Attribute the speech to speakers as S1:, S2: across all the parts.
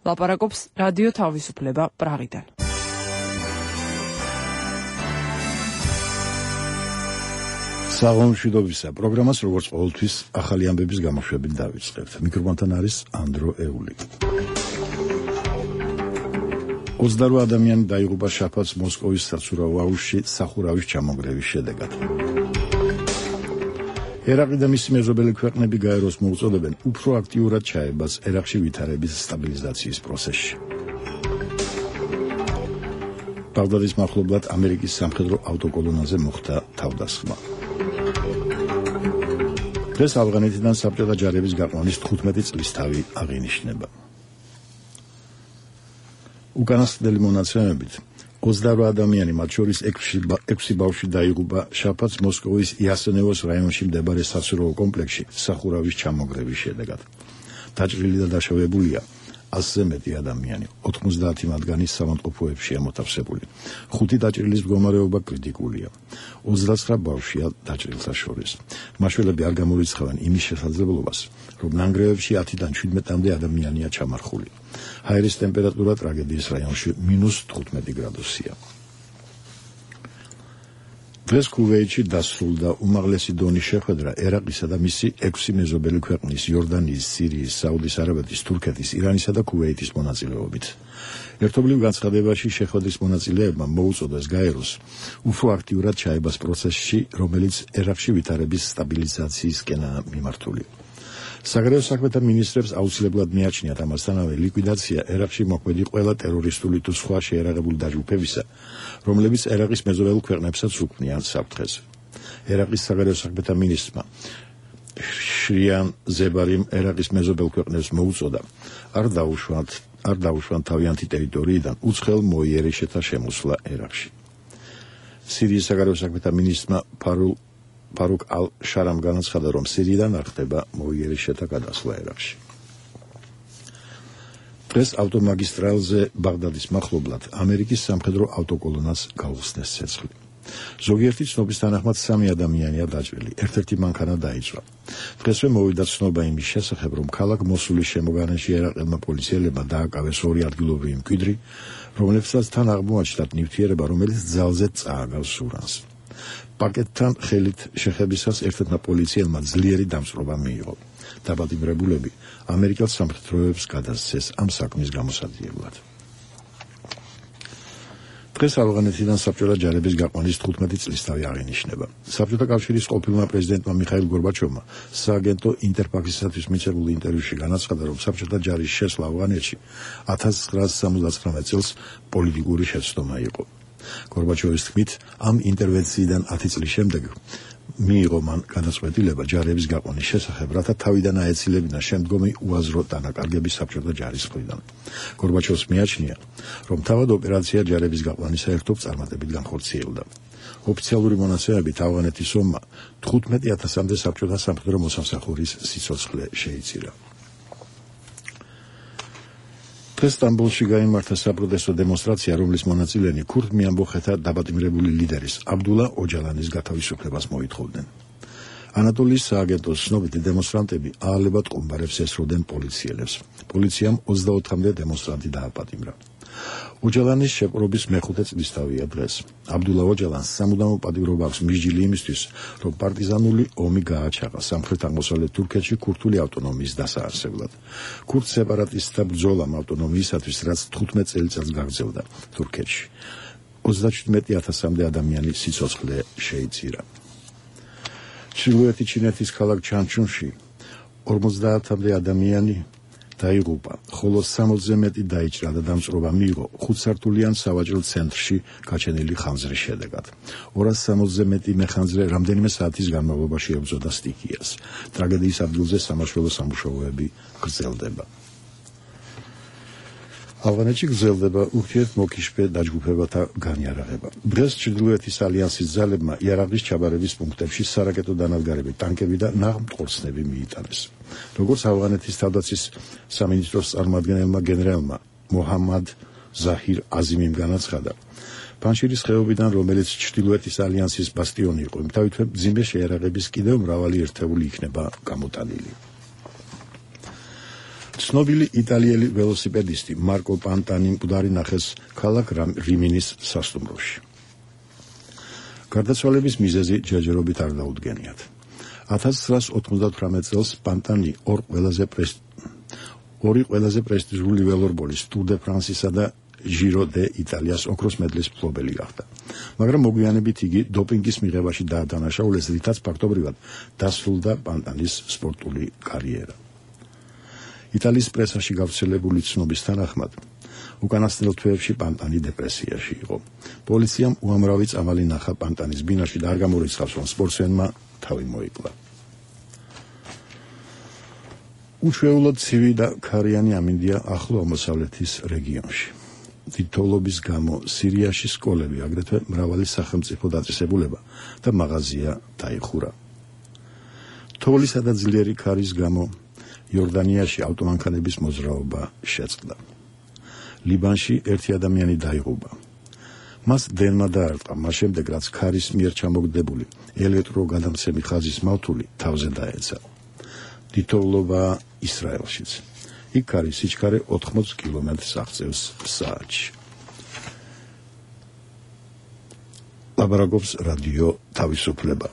S1: ლაპარაკობს რადიო თავისუფლება პრაღიდან.
S2: საღამოშვიდობისა პროგრამას როგორც ყოველთვის ახალი ამბების გამოშვებით დავიწყებთ. მიკროფონთან არის ანდრო ეული. 28 ადამიანი დაიღუპა შაბათს მოსკოვის საცურაო აუზში სახურავის ჩამონგრევის შედეგად. ერაყი და მისი მეზობელი ქვეყნები გაეროს მოუწოდებენ უფრო აქტიურად ჩაებას ერაყში ვითარების სტაბილიზაციის პროცესში. ბაღდადის მახლობლად ამერიკის სამხედრო ავტოკოლონაზე მოხდა თავდასხმა. დღეს ავღანეთიდან საბჭოთა ჯარების გაყვანის 15 წლისთავი აღინიშნება. უკანასკნელი მონაცემებით 28 ადამიანი, მათ შორის 6 ბავშვი დაიღუპა შაბათს მოსკოვის იასენევოს რაიონში მდებარე საცურაო კომპლექსში სახურავის ჩამონგრევის შედეგად. დაჭრილი და დაშავებულია 100-ზე მეტი ადამიანი, 90 მათგანი საავადმყოფოებშია მოთავსებული. 5 დაჭრილის მდგომარეობა კრიტიკულია. 29 ბავშვია დაჭრილთა შორის. მაშველები არ გამორიცხავენ იმის შესაძლებლობას, რომ ნანგრევებში 10-დან 17-მდე ადამიანია ჩამარხული. ჰაერის ტემპერატურა ტრაგედიის რაიონში -15 გრადუსია. დღეს ქუვეითში დასრულდა უმაღლესი დონის შეხვედრა ერაყისა და მისი 6 მეზობელი ქვეყნის იორდანიის, სირიის, საუდის არაბეთის, თურქეთის, ირანისა და ქუვეითის მონაწილეობით. ერთობლივ განცხადებაში შეხვედრის მონაწილეებმა მოუწოდეს გაეროს უფრო აქტიურად ჩაებას პროცესში, რომელიც ერაყში ვითარების სტაბილიზაციისკენაა მიმართული. საგარეო საქმეთა მინისტრებს აუცილებლად მიაჩნიათ ამასთანავე ლიკვიდაცია ერაყში მოქმედი ყველა ტერორისტული თუ სხვა შეერაღებული დაჯგუფებისა, რომლებიც ერაყის მეზობელ ქვეყნებსაც უქმნიან საფრთხეს. ერაყის საგარეო საქმეთა მინისტრმა შრიან ზებარიმ ერაყის მეზობელ ქვეყნებს მოუწოდა არ დაუშვან თავიანთი ტერიტორიიდან უცხელ მოიერიშეთა შემოსვლა ერაყში. სირიის საგარეო საქმეთა მინისტრმა ფარუკ ალ-შარამ განაცხადა, რომ სირიიდან არ ხდება მოიერიშეთა გადასვლა ერაყში. დღეს ავტომაგისტრალზე ბაღდადის მახლობლად ამერიკის სამხედრო ავტოკოლონას გაუხსნეს ცეცხლი. ზოგიერთი ცნობის თანახმად 3 ადამიანია დაჭრილი, ერთ-ერთი მანქანა დაიწვა. დღესვე მოვიდა ცნობა იმის შესახებ, რომ ქალაქ მოსულის შემოგარენში ერაყელმა პოლიციელებმა დააკავეს 2 ადგილობრივი მკვიდრი, რომლებსაც თან აღმოაჩნდათ ნივთიერება, რომელიც ძალზედ წააგავს სურანს. პაკეტთან ხელით შეხებისას ერთ-ერთმა პოლიციელმა ძლიერი დამწვრობა მიიღო. დაბადიმრებულები ამერიკელ სამხედროებს გადასცეს ამ საქმის გამოსადიებლად. დღეს ავღანეთიდან საბჭოთა ჯარების გაყვანის 15 წლისთავი აღინიშნება. საბჭოთა კავშირის ყოფილმა პრეზიდენტმა მიხაილ გორბაჩოვმა სააგენტო ინტერფაქსისათვის მიცემულ ინტერვიუში განაცხადა, რომ საბჭოთა ჯარის შესვლა ავღანეთში 1979 წელს პოლიტიკური შეცდომა იყო. გორბაჩოვის თქმით, ამ ინტერვენციიდან 10 წლის შემდეგ მიიღო მან განაცხადება ჯარების გაყვანის შესახებ, რათა თავიდან აეცილებინა შემდგომი უაზრო დანაკარგები საბჭოთა ჯარის მხრიდან. გორბაჩოვს მიაჩნია, რომ თავად ოპერაცია ჯარების გაყვანის საერთოდ წარმატებით განხორციელდა. ოფიციალური მონაცემებით ავღანეთის ომმა 15,000-მდე საბჭოთა სამხედრო მოსამსახურის სიცოცხლე შეიწირა. დღეს სტამბოლში გაიმართა საპროტესტო დემონსტრაცია, რომლის მონაწილენი ქურდ მეამბოხეთა დაბატიმრებული ლიდერის აბდულა ოჯალანის გათავისუფლებას მოითხოვდნენ. ანატოლიის სააგენტოს ცნობით დემონსტრანტები აალებად ყუმბარებს ესროდნენ პოლიციელებს. პოლიციამ 24-მდე დემონსტრანტი დააპატიმრა. ოჯალანის შეპყრობის მეხუთე წლისთავია დღეს. აბდულა ოჯალანს სამუდამო პატიმრობა აქვს მისჯილი იმისთვის, რომ პარტიზანული ომი გააჩაღა სამხრეთ-აღმოსავლეთ თურქეთში ქურთული ავტონომიის დასაარსებლად. ქურთ სეპარატისტთა ბრძოლამ ავტონომიისათვის, რაც 15 წელიწადს გაგრძელდა თურქეთში. 37,000-მდე ადამიანი სიცოცხლე შეიწირა. ჩრდილოეთი ჩინეთის ქალაქ ჩანჩუნში 50-მდე ადამიანი დაიღუპა, ხოლო 60-ზე მეტი დაიჭრა და დამწვრობა მიიღო 5-სართულიან სავაჭრო ცენტრში გაჩენილი ხანძრის შედეგად. 260-ზე მეტი მეხანძრე რამდენიმე საათის განმავლობაში ებრძოდა სტიქიას. ტრაგედიის ადგილზე სამაშველო სამუშაოები გრძელდება. ავღანეთში გრძელდება ურთიერთმოქიშფე დაჯგუფებათა განიარაღება. დღეს ჩრდილოეთის ალიანსის ძალებმა იარაღის ჩაბარების პუნქტებში სარაკეტო დანადგარები, ტანკები და ნაღმტყორცნები მიიტანეს. როგორც ავღანეთის თავდაცვის სამინისტროს წარმომადგენელმა გენერალმა მოჰამად ზაჰირ აზიმიმ განაცხადა, პანშირის ხეობიდან, რომელიც ჩრდილოეთის ალიანსის ბასტიონი იყო, იმთავითვე მძიმე შეიარაღების კიდევ მრავალი ერთეული იქნება გამოტანილი. ცნობილი იტალიელი ველოსიპედისტი მარკო პანტანი მკვდარი ნახეს ქალაქ რიმინის სასტუმროში. გარდაცვალების მიზეზი ჯერჯერობით არ დაუდგენიათ. 1998 წელს პანტანი ორი ყველაზე პრესტიჟული ველორბოლის ტურ დე ფრანსისა და ჟირო დე იტალიას ოქროს მედლის მფლობელი გახდა. მაგრამ მოგვიანებით იგი დოპინგის მიღებაში დაადანაშაულეს, რითაც ფაქტობრივად დასრულდა პანტანის სპორტული კარიერა. იტალიის პრესაში გავრცელებული ცნობის თანახმად, უკანასკნელ თვეებში პანტანი დეპრესიაში იყო. პოლიციამ უამრავი წამალი ნახა პანტანის ბინაში და არ გამორიცხავს, რომ სპორტსმენმა თავი მოიკლა. უჩვეულოდ ცივი და ქარიანი ამინდია ახლო აღმოსავლეთის რეგიონში. თითოეულობის გამო სირიაში სკოლები, აგრეთვე მრავალი სახელმწიფო დაწესებულება და მაღაზია დაიხურა. თოვლისა და ძლიერი ქარის გამო იორდანიაში ავტომანქანების მოძრაობა შეწყდა. ლიბანში ერთი ადამიანი დაიღუპა. მას დენმა დაარტყა, მას შემდეგ რაც ქარის მიერ ჩამოგდებული ელექტროგადამცემი ხაზის მავთული თავზე დაეცა. თითოეულობა ისრაელშიც. იქ ქარის სიჩქარე 80 კილომეტრს აღწევს საათში. ლაბარაკობს რადიო თავისუფლება.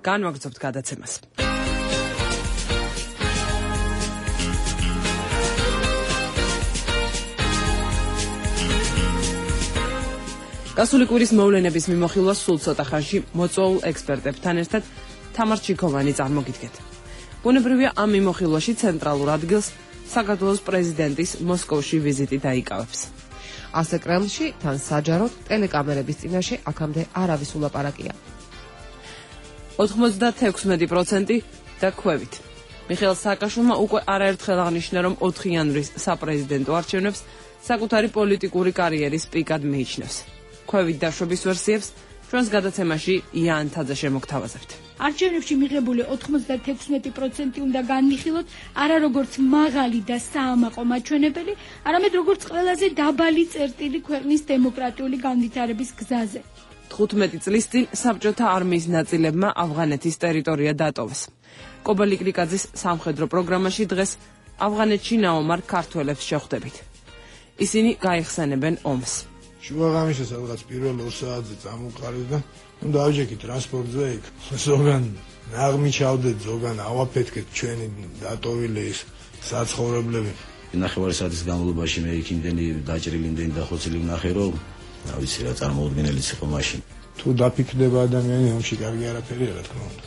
S1: განვაგრძობთ გადაცემას. გასული კვირის მოვლენების მიმოხილვა სულ ცოტა ხანში მოწვეულ ექსპერტებთან ერთად თამარ ჩიქოვანი წარმოგიდგეთ. ბუნებრივია ამ მიმოხილვაში ცენტრალურ ადგილს საქართველოს პრეზიდენტის მოსკოვში ვიზიტი დაიკავებს.
S3: ასე კრემლში თან საჯაროდ ტელეკამერების წინაშე აქამდე არავის ულაპარაკია.
S1: 96% და ქვევით. მიხეილ სააკაშვილმა უკვე არაერთხელ აღნიშნა, რომ 4 იანვრის საპრეზიდენტო არჩევნებს საკუთარი პოლიტიკური კარიერის პიკად მიიჩნევს. ქვევით დაშვების ვერსიებს ჩვენს გადაცემაში იან თაძე შემოგთავაზებთ.
S4: არჩევნებში მიღებული 96% უნდა განვიხილოთ არა როგორც მაღალი და საამაყო მაჩვენებელი, არამედ როგორც ყველაზე დაბალი წერტილი ქვეყნის დემოკრატიული განვითარების გზაზე.
S1: 15 წლის წინ საბჭოთა არმიის ნაწილებმა ავღანეთის ტერიტორია დატოვეს. კობალი კრიკაძის სამხედრო პროგრამაში დღეს ავღანეთში ნაომარ ქართველებს შეხვდებით. ისინი გაიხსენებენ ომს.
S5: შუაღამისას რაღაც პირველ 2 საათზე წამოყარეთ და დავჯექით ტრანსპორტზე იქ. ზოგან ნაღმი ჩავდეთ, ზოგან ავაფეთქეთ ჩვენი დატოვილი ის საცხოვრებლები.
S6: ნახევარი საათის განმავლობაში მე იქ იმდენი დაჭრილი, იმდენი დახოცილი ვნახე, რომ რა ვიცი რა წარმოუდგენელიც იყო მაშინ.
S5: თუ დაფიქრდება ადამიანი, ომში კარგი არაფერია, რა თქმა უნდა.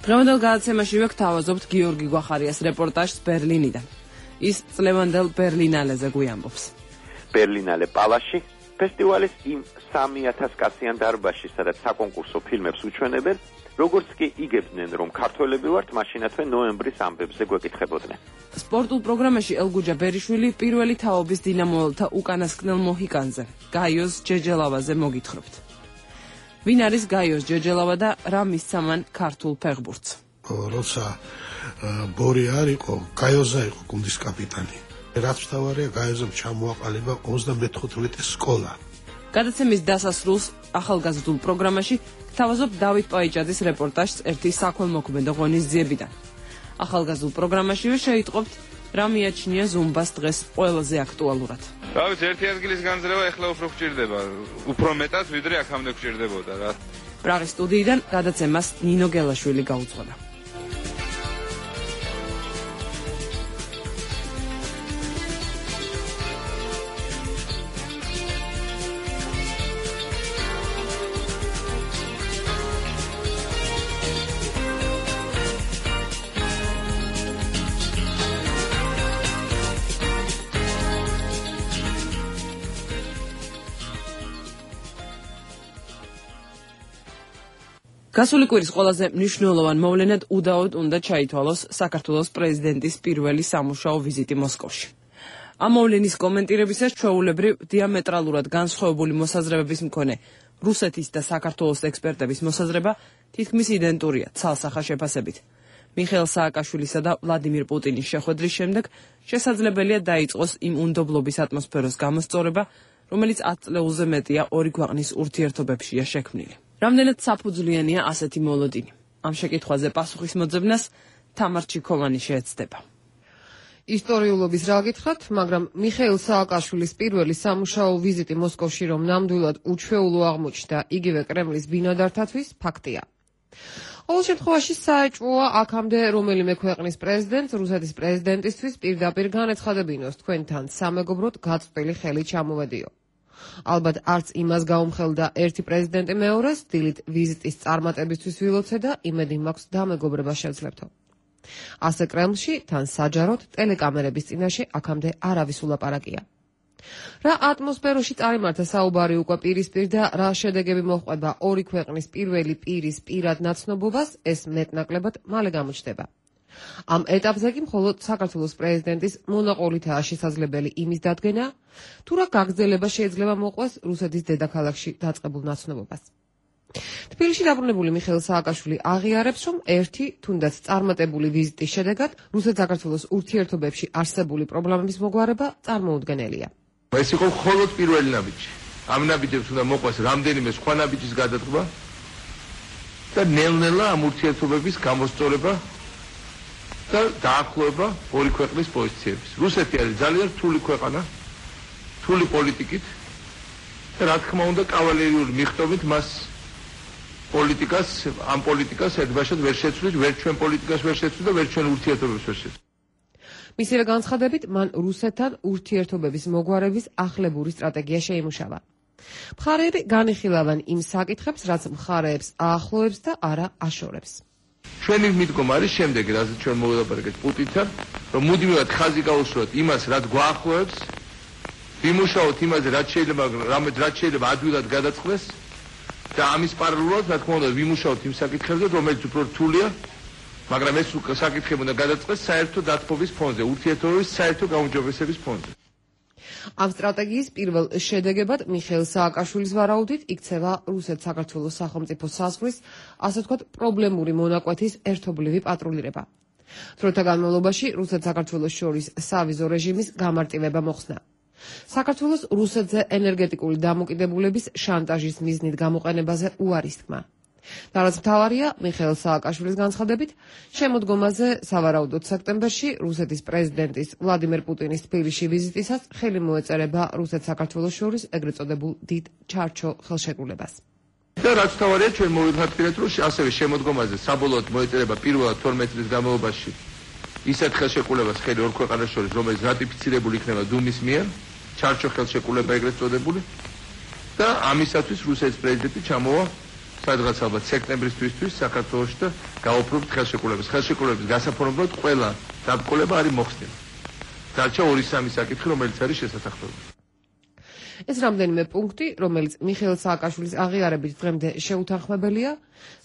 S1: დღევანდელ გადაცემაში ვეგვთავაზობთ გიორგი გვახარიას რეპორტაჟს ბერლინიდან. ის წლევანდელ ბერლინალეზე გვიამბობს.
S7: ბერლინალე პალაში ფესტივალის იმ 3000 კაციან დარბაზში, სადაც საკონკურსო ფილმებს უჩვენებენ, როგორც კი იგებდნენ, რომ ქართველები ვართ, მაშინათვე ნოემბრის ამბებზე გვეკითხებოდნენ.
S1: სპორტულ პროგრამაში ელგუჯა ბერიშვილი პირველი თაობის დინამოელთა უკანასკნელ მოჰიკანზე, გაიოს ჯეჯელავაზე მოგითხრობთ. ვინ არის გაიოს ჯეჯელავა და რა მისცა მან ქართულ ფეხბურთს?
S5: როცა ბორი არ იყო, გაიოზა იყო გუნდის კაპიტანი. რაც მთავარია, გაიოზამ ჩამოაყალიბა 34 სკოლა.
S1: გადაცემის დასასრულს ახალგაზრდულ პროგრამაში გთავაზობ დავით პაიჭაძის რეპორტაჟს ერთი საქველმოქმედო ღონისძიებიდან. ახალგაზრდულ პროგრამაშივე შეიტყობთ რა მიაჩნია ზუმბას დღეს ყველაზე აქტუალურად.
S8: რა ვიცი, ერთი ადგილის განძრევა ეხლა უფრო გვჭირდება, უფრო მეტად ვიდრე აქამდე გვჭირდებოდა რა.
S1: პრაღის სტუდიიდან გადაცემას ნინო გელაშვილი გაუძღვება. გასული კვირის ყველაზე მნიშვნელოვან მოვლენად უდაოდ უნდა ჩაითვალოს საქართველოს პრეზიდენტის პირველი სამუშაო ვიზიტი მოსკოვში. ამ მოვლენის კომენტირებისას ჩვეულებრივ დიამეტრალურად განსხვავებული მოსაზრებების მქონე რუსეთის და საქართველოს ექსპერტების მოსაზრება თითქმის იდენტურია ცალსახა შეფასებით. მიხეილ სააკაშვილისა და ვლადიმირ პუტინის შეხვედრის შემდეგ შესაძლებელია დაიწყოს იმ უნდობლობის ატმოსფეროს გამოსწორება, რომელიც 10 წლეულზე მეტია ორი ქვეყნის ურთიერთობებშია შექმნილი. რამდენად საფუძვლიანია ასეთი მოლოდინი? ამ შეკითხვაზე პასუხის მოძებნას თამარ ჩიქოვანი შეეცდება.
S3: ისტორიულობის რა გითხრათ, მაგრამ მიხეილ სააკაშვილის პირველი სამუშაო ვიზიტი მოსკოვში რომ ნამდვილად უჩვეულო აღმოჩნდა იგივე კრემლის ბინადართათვის ფაქტია. ყოველ შემთხვევაში საეჭვოა აქამდე რომელიმე ქვეყნის პრეზიდენტს რუსეთის პრეზიდენტისთვის პირდაპირ განეცხადებინოს თქვენთან სამეგობროდ გაწყვეტილი ხელი ჩამოვედიო. ალბათ არც იმას გაუმხელდა ერთი პრეზიდენტი მეორეს დილით ვიზიტის წარმატებისთვის ვილოცე და იმედი მაქვს დამეგობრება შევძლებთო. ასე კრემლში თან საჯაროდ ტელეკამერების წინაშე აქამდე არავის ულაპარაკია. რა ატმოსფეროში წარიმართა საუბარი უკვე პირისპირ და რა შედეგები მოჰყვება ორი ქვეყნის პირველი პირის პირად ნაცნობობას, ეს მეტნაკლებად მალე გამოჩნდება. ამ ეტაპზე კი მხოლოდ საქართველოს პრეზიდენტის მონაყოლითაა შესაძლებელი იმის დადგენა, თუ რა გაგრძელება შეიძლება მოყვეს რუსეთის დედაქალაქში დაწყებულ ნაცნობობას. თბილისში დაბრუნებული მიხეილ სააკაშვილი აღიარებს, რომ ერთი თუნდაც წარმატებული ვიზიტის შედეგად რუსეთ-საქართველოს ურთიერთობებში არსებული პრობლემების მოგვარება წარმოუდგენელია.
S9: ეს იყო მხოლოდ პირველი ნაბიჯი. ამ ნაბიჯებს უნდა მოყვეს რამდენიმე სხვა ნაბიჯის გადადგმა და ნელ-ნელა ამ ურთიერთობების გამოსწორება და დაახლოება ორი ქვეყნის პოზიციების. რუსეთი არის ძალიან რთული ქვეყანა, რთული პოლიტიკით და რა თქმა უნდა კავალერიული მიღწევით მას ამ პოლიტიკას ერთბაშად ვერ შეცვლით, ვერ ჩვენ პოლიტიკას ვერ შეცვლით და ვერ ჩვენ ურთიერთობებს ვერ შეცვლით.
S3: მისივე განცხადებით, მან რუსეთთან ურთიერთობების მოგვარების ახლებური სტრატეგია შეიმუშავა. მხარეები განიხილავენ იმ საკითხებს, რაც მხარეებს აახლოებს და არა აშორებს.
S9: ჩვენი მიდგომა არის შემდეგი, რაზეც ჩვენ მოვილაპარაკეთ პუტინთან, რომ მუდმივად ხაზი გაუსწროთ იმას, რაც გვაახლოებს, ვიმუშაოთ იმაზე, რაც შეიძლება ადვილად გადაწყდეს და ამის პარალელურად, რა თქმა უნდა, ვიმუშაოთ იმ საკითხებზე, რომელიც უფრო რთულია, მაგრამ ეს საკითხები უნდა გადაწყდეს საერთო დათბობის ფონზე, ურთიერთობების საერთო გაუმჯობესების ფონზე.
S3: ამ სტრატეგიის პირველ შედეგებად მიხეილ სააკაშვილის ვარაუდით იქცევა რუსეთ-საქართველოს სახელმწიფო საზღვრის, ასე ვთქვათ, პრობლემური მონაკვეთის ერთობლივი პატრულირება. დროთა განმავლობაში რუსეთ-საქართველოს შორის სავიზო რეჟიმის გამარტივება მოხსნა. საქართველოს რუსეთზე ენერგეტიკული დამოკიდებულების შანტაჟის მიზნით გამოყენებაზე უარის თქმა. და რაც მთავარია, მიხეილ სააკაშვილის განცხადებით, შემოდგომაზე სავარაუდოდ სექტემბერში რუსეთის პრეზიდენტის ვლადიმერ პუტინის თბილისში ვიზიტისას ხელი მოეწერება რუსეთ-საქართველოს შორის ეგრეთ წოდებულ დიდ ჩარჩო ხელშეკრულებას.
S9: და რაც მთავარია, ჩვენ მოვიფიქრეთ, რომ ასევე შემოდგომაზე საბოლოოდ მოეწერება პირველად 12 წლის განმავლობაში ისეთ ხელშეკრულებას ხელი ორ ქვეყანას შორის, რომელიც რატიფიცირებული იქნება დუმის მიერ, ჩარჩო ხელშეკრულება ეგრეთ წოდებული და ამისათვის რუსეთის პრეზიდენტი ჩამოვა სადღაც ალბათ სექტემბრის თვისთვის საქართველოში და გაუფრობთ ხელშეკრულების გასაფორმებლად ყველა დაბრკოლება არის მოხსნილი. დარჩა 2-3 საკითხი, რომელიც არის შესაძლებელი.
S3: ეს რამდენიმე პუნქტი, რომელიც მიხეილ სააკაშვილის აღიარებით დღემდე შეუთანხმებელია,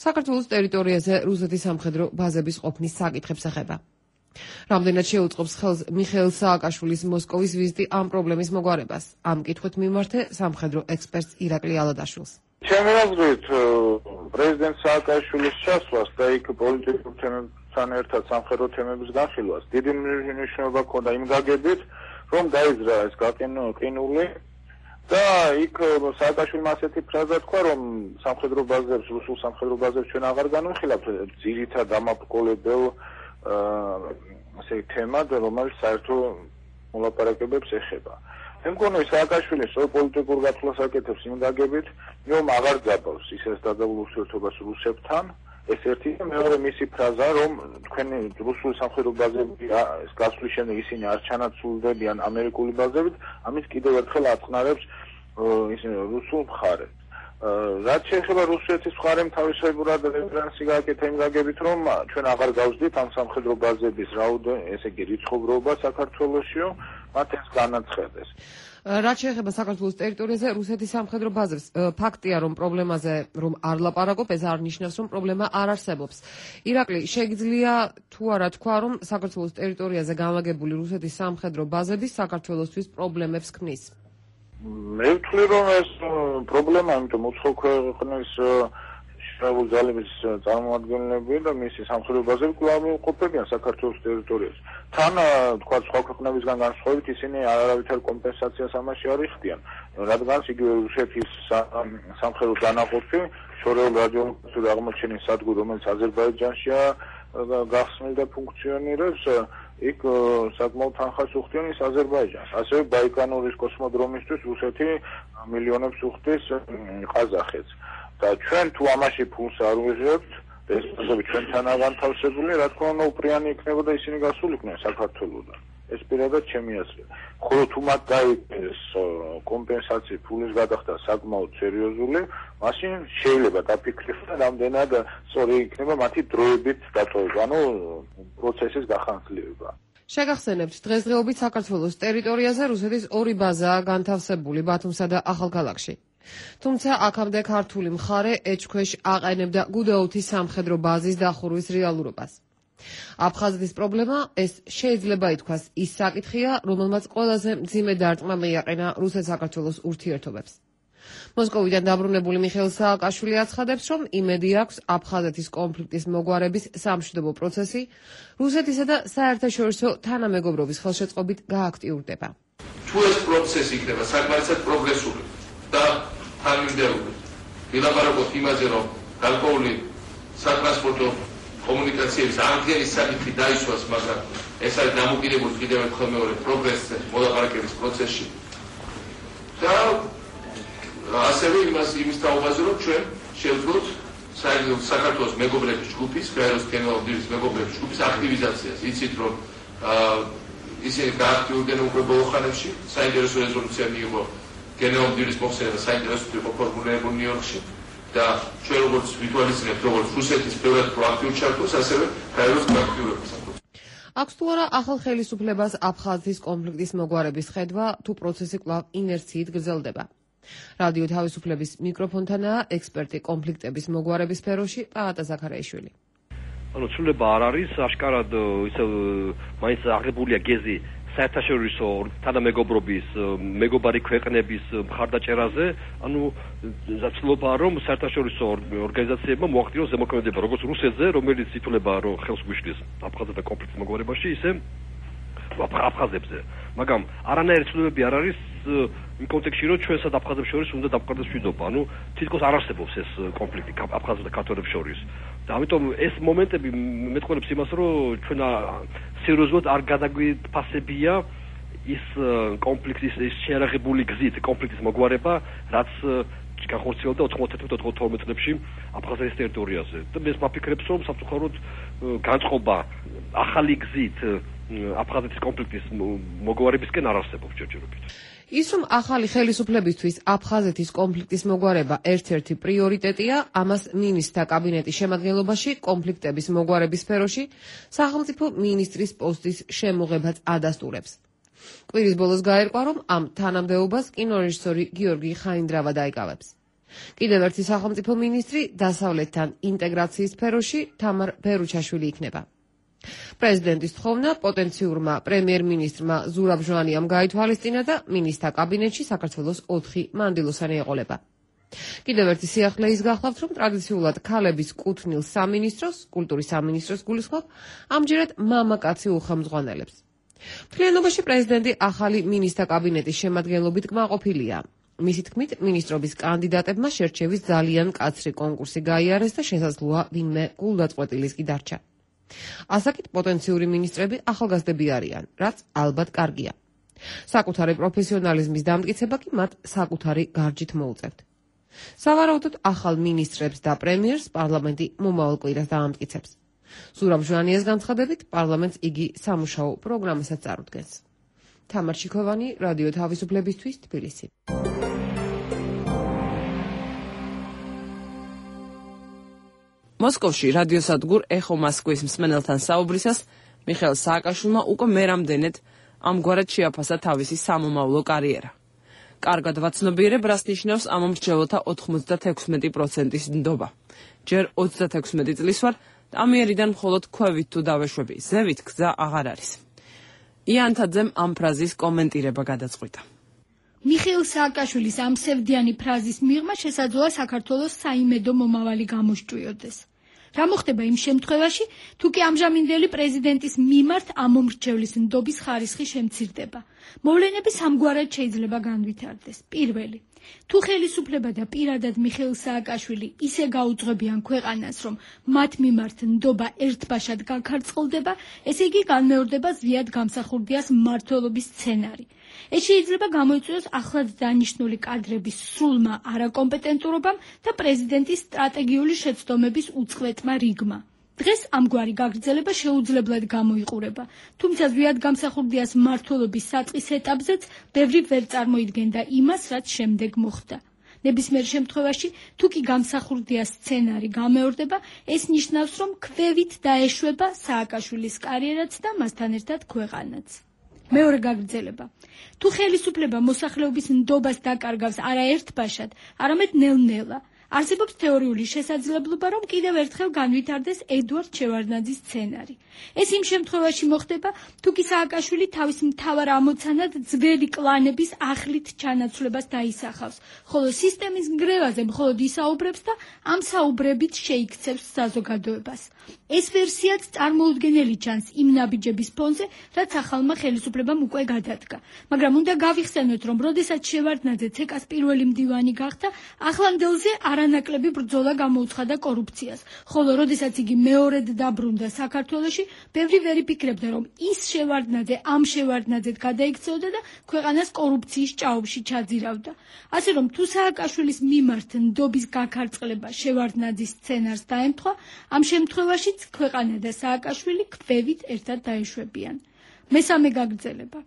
S3: საქართველოს ტერიტორიაზე რუსეთის სამხედრო ბაზების ყოფნის საკითხებს ეხება. რამდენად შეუწყობს ხელს მიხეილ სააკაშვილის მოსკოვის ვიზიტი ამ პრობლემის მოგვარებას? ამ კითხვით მიმართე სამხედრო ექსპერტს ირაკლი ალადაშვილს.
S10: ჩემი აზრით, პრეზიდენტ სააკაშვილის ჩასვლას და იქ პოლიტიკურ თემებთან ერთად სამხედრო თემების განხილვას დიდი მნიშვნელობა ჰქონდა იმ გაგებით, რომ დაიძრა ეს გაყინული და იქ სააკაშვილმა ასეთი ფრაზა თქვა, რომ სამხედრო ბაზებს, რუსულ სამხედრო ბაზებს ჩვენ აღარ განვიხილავთ ძირითად დამაბრძოლებელ ასე თემად, რომელიც საერთო მოლაპარაკებებს ეხება. მე მგონი სააკაშვილის პოლიტიკურ გათვლას აკეთებს იმ გაგებით, რომ აღარ ძაბავს ისეს დაძაბულ ურთიერთობას რუსებთან, ეს ერთი და მეორე მისი ფრაზა, რომ თქვენი რუსული სამხედრო ბაზები გასვლის შემდეგ ისინი არ ჩანაცვლდებიან ამერიკული ბაზებით, ამით კიდევ ერთხელ აწყნარებს რუსულ მხარეს. რაც შეეხება რუსეთის მხარემ თავისებურად რეფერენსი გააკეთა იმ გაგებით, რომ ჩვენ აღარ გავსდით ამ სამხედრო ბაზების ესე იგი რიცხობრობა საქართველოსშიო, მათ ეს განაცხადეს.
S3: რაც შეეხება საქართველოს ტერიტორიაზე რუსეთის სამხედრო ბაზებს, ფაქტია, რომ პრობლემაზე რომ არ ლაპარაკობ, ეს არ ნიშნავს, რომ პრობლემა არ არსებობს. ირაკლი, შეგიძლია თუ არა თქვა, რომ საქართველოს ტერიტორიაზე განლაგებული რუსეთის სამხედრო ბაზები საქართველოსთვის პრობლემებს ქმნის?
S10: მე ვთვლი, რომ ეს პრობლემა, იმიტომ უცხო ქვეყნის შრეულ ძალების წარმომადგენლები და მისი სამხედრო ბაზები კვლავ ყოფებიან საქართველოს ტერიტორიაზე. თან თქვა სხვა ქვეყნებისგან განსხვავებით ისინი არავითარ კომპენსაციას ამაში არ იხდიან, რადგან იგივე რუსეთის სამხედრო დანაყოფი შორეულ რადიოლოგიური აღმოჩენის სადგური, რომელიც აზერბაიჯანშია გახსნილ და ფუნქციონირებს, იქ საკმაოდ თანხას უხდიან ის აზერბაიჯანს. ასევე ბაიკანურის კოსმოდრომისთვის რუსეთი მილიონებს უხდის ყაზახეთს. და ჩვენ თუ ამაში ფულს არ ვიღებთ, ეს პროცესი ჩვენთანაა განთავსებული, რა თქმა უნდა, უპრიანი იქნებოდა ისინი გასულიყვნენ საქართველოსთან. ეს პირადად ჩემი აზრია. ხოლო თუ მათ დაიგეს კომპენსაციის ფულის გადახდა საკმაოდ სერიოზული, მაშინ შეიძლება დაფიქრებთ და რამდენად სწორი იქნება მათი დროებით დატოვება, ანუ პროცესის გახანძლებობა.
S3: შეგახსენებთ, დღესდღეობით საქართველოს ტერიტორიაზე რუსეთის ორი ბაზაა განთავსებული ბათუმსა და ახალქალაქში. თუმცა აქამდე ქართული მხარე ეჭქვეშ აყენებდა გუდაუთის სამხედრო ბაზის დახურვის რეალურობას. აფხაზეთის პრობლემა ეს შეიძლება ითქვას ის საკითხია, რომელმაც ყველაზე მძიმე დარტყმა მიაყენა რუსეთ-საქართველოს ურთიერთობებს. მოსკოვიდან დაბრუნებული მიხეილ სააკაშვილი აცხადებს, რომ იმედი აქვს აფხაზეთის კონფლიქტის მოგვარების სამშვიდობო პროცესი რუსეთისა და საერთაშორისო თანამეგობრობის ხელშეწყობით გააქტიურდება.
S9: თუ ეს პროცესი იქნება საკმარისად პროგრესული და თანმიმდევრული, ვილაპარაკოთ იმაზე, რომ გარკვეული სატრანსპორტო კომუნიკაციების აღდგენის საკითხი დაისვას, მაგრამ ეს არის დამოკიდებული კიდევ ერთხელ მეორე პროგრესზე მოლაპარაკების პროცესში. და ასევე იმის თაობაზე, რომ ჩვენ შევძლოთ საქართველოს მეგობრების ჯგუფის, გაეროს გენერალ-დირექტორის მეგობრების ჯგუფის აქტივიზაციას. იცით, რომ ისინი გააქტიურდნენ უკვე ბოლო ხანებში, საინტერესო რეზოლუცია მიიღო გენერალ-დირექტორის მოხსენება, საინტერესო იყო ფორმულირებული ნიუ-იორკში. და ჩვენ როგორც ვიტუალიზებთ, როგორც რუსეთის ბევრად პროაქტიულ ჩართვას, ასევე გაეროს გააქტიურებას.
S3: აქვს თუ არა ახალ ხელისუფლებას აფხაზეთის კონფლიქტის მოგვარების ხედვა, თუ პროცესი კვლავ ინერციით გრძელდება. რადიო თავისუფლების მიკროფონთანაა ექსპერტი კონფლიქტების მოგვარების სფეროში პაატა ზაქარაიშვილი.
S11: ანუ ცვლილება არ არის, აშკარად ისე მაინც აღებულია გეზი საერთაშორისო თანამეგობრობის მეგობარი ქვეყნების მხარდაჭერაზე, ანუ ცდილობაა რომ საერთაშორისო ორგანიზაციებმა მოახდინოს ზემოქმედება როგორც რუსეთზე, რომელიც ითვლება რომ ხელს გვიშლის აფხაზეთის კონფლიქტის მოგვარებაში, ისე აფხაზებზე. მაგრამ არანაირი ცვლილებები არ არის იმ კონტექსტში, რომ ჩვენსა და აფხაზებს შორის უნდა დამყარდეს მშვიდობა. ანუ თითქოს არ არსებობს ეს კონფლიქტი აფხაზებს და ქართველებს შორის. და ამიტომ ეს მომენტები მეტყველებს იმას, რომ ჩვენ სერიოზულად არ გადაგვიფასებია ის კონფლიქტის ის შეერაღებული გზით კონფლიქტის მოგვარება, რაც განხორციელდა 91-92 წლებში აფხაზეთის ტერიტორიაზე. და მე ვფიქრებს, რომ სამწუხაროდ განწყობა ახალი გზით აფხაზეთის კონფლიქტის მოგვარებისკენ არ არსებობს ჯერჯერობით.
S3: ის რომ ახალი ხელისუფლებისთვის აფხაზეთის კონფლიქტის მოგვარება ერთ-ერთი პრიორიტეტია, ამას მინისტრთა კაბინეტის შემადგენლობაში კონფლიქტების მოგვარების სფეროში სახელმწიფო მინისტრის პოსტის შემოღებაც ადასტურებს. კვირის ბოლოს გაერკვა, რომ ამ თანამდებობას კინორეჟისორი გიორგი ხაინდრავა დაიკავებს. კიდევ ერთი სახელმწიფო მინისტრი დასავლეთთან ინტეგრაციის სფეროში თამარ ბერუჩაშვილი იქნება. პრეზიდენტის თხოვნა პოტენციურმა პრემიერ-მინისტრმა ზურაბ ჟვანიამ გაითვალისწინა და მინისტრთა კაბინეტში საქართველოს 4 მანდილოსანი ეყოლება. კიდევ ერთი სიახლე ის გახლავთ, რომ ტრადიციულად ქალების კუთვნილ სამინისტროს, კულტურის სამინისტროს გულისხმობ, ამჯერად მამაკაცი უხელმძღვანელებს. მთლიანობაში პრეზიდენტი ახალი მინისტრთა კაბინეტის შემადგენლობით კმაყოფილია. მისი თქმით, მინისტრობის კანდიდატებმა შერჩევის ძალიან მკაცრი კონკურსი გაიარეს და შესაძლოა ვინმე გულდაწყვეტილის კი დარჩა. ასაკით პოტენციური მინისტრები ახალგაზრდები არიან, რაც ალბათ კარგია. საკუთარი პროფესიონალიზმის დამტკიცება კი მათ საკუთარი გარჯით მოუწევთ. სავარაუდოდ ახალ მინისტრებს და პრემიერს პარლამენტი მომავალ კვირას დაამტკიცებს. ზურაბ ჟვანიას განცხადებით, პარლამენტს იგი სამუშაო პროგრამასაც წარუდგენს. თამარ ჩიქოვანი, რადიო თავისუფლებისთვის, თბილისი.
S1: მოსკოვში რადიოსადგურ ეხო მოსკოვის მსმენელთან საუბრისას მიხეილ სააკაშვილმა უკვე მერამდენედ ამგვარად შეაფასა თავისი სამომავლო კარიერა. კარგად ვაცნობიერებ, რას ნიშნავს ამ მრჩეველთა 96%-ის ნდობა. ჯერ 36 წლის ვარ და ამიერიდან მხოლოდ ქვევით თუ დავეშვები, ზევით გზა აღარ არის. იანთაძემ ამ ფრაზის კომენტირება გადაწყვიტა.
S4: მიხეილ სააკაშვილის ამ სევდიანი ფრაზის მიღმა შესაძლოა საქართველოს საიმედო მომავალი გამოსჭვიოდეს. რა მოხდება იმ შემთხვევაში, თუ კი ამჟამინდელი პრეზიდენტის მიმართ ამომრჩევლის ნდობის ხარისხი შემცირდება? მოვლენები სამგვარად შეიძლება განვითარდეს. პირველი, თუ ხელისუფლება და პირადად მიხეილ სააკაშვილი ისე გაუძღვებიან ქვეყანას, რომ მათ მიმართ ნდობა ერთბაშად გაქარწყლდება, ესე იგი განმეორდება ზვიად გამსახურდიას მმართველობის სცენარი. ეს შეიძლება გამოიწვიოს ახლად დანიშნული კადრების სრულმა არაკომპეტენტურობამ და პრეზიდენტის სტრატეგიული შეცდომების უწყვეტმა რიგმა. დღეს ამგვარი გაგრძელება შეუძლებლად გამოიყურება, თუმცა ზვიად გამსახურდიას მმართველობის საწყის ეტაპზეც ბევრი ვერ წარმოიდგენდა იმას, რაც შემდეგ მოხდა. ნებისმიერ შემთხვევაში, თუ კი გამსახურდიას სცენარი გამეორდება, ეს ნიშნავს, რომ ქვევით დაეშვება სააკაშვილის კარიერაც და მასთან ერთად ქვეყანაც. მეორე გაგრძელება. თუ ხელისუფლება მოსახლეობის ნდობას დაკარგავს არა ერთბაშად, არამედ ნელ-ნელა, არსებობს თეორიული შესაძლებლობა, რომ კიდევ ერთხელ განვითარდეს ედუარდ შევარდნაძის სცენარი. ეს იმ შემთხვევაში მოხდება, თუ კი სააკაშვილი თავის მთავარ ამოცანად ძველი კლანების ახლით ჩანაცვლებას დაისახავს, ხოლო სისტემის ნგრევაზე მხოლოდ ისაუბრებს და ამ საუბრებით შეიქცევს საზოგადოებას. ეს ვერსიაც წარმოუდგენელი ჩანს იმ ნაბიჯების ფონზე, რაც ახალმა ხელისუფლებამ უკვე გადადგა. მაგრამ უნდა გავიხსენოთ, რომ როდესაც შევარდნაძე ცეკას პირველი მდივანი გახდა, ახლანდელზე არანაკლები ბრძოლა გამოუცხადა კორუფციას, ხოლო როდესაც იგი მეორედ დაბრუნდა საქართველოში, ბევრი ვერ იფიქრებდა, რომ ის შევარდნაძე ამ შევარდნაძედ გადაიქცეოდა და ქვეყანას კორუფციის ჭაობში ჩაძირავდა. ასე რომ თუ სააკაშვილის მიმართ ნდობის გაქარწყლება შევარდნაძის სცენარს დაემთხვა, ამ შემთხვევაშიც ქვეყანა და სააკაშვილი ქვევით ერთად დაეშვებიან. მესამე გაგრძელება.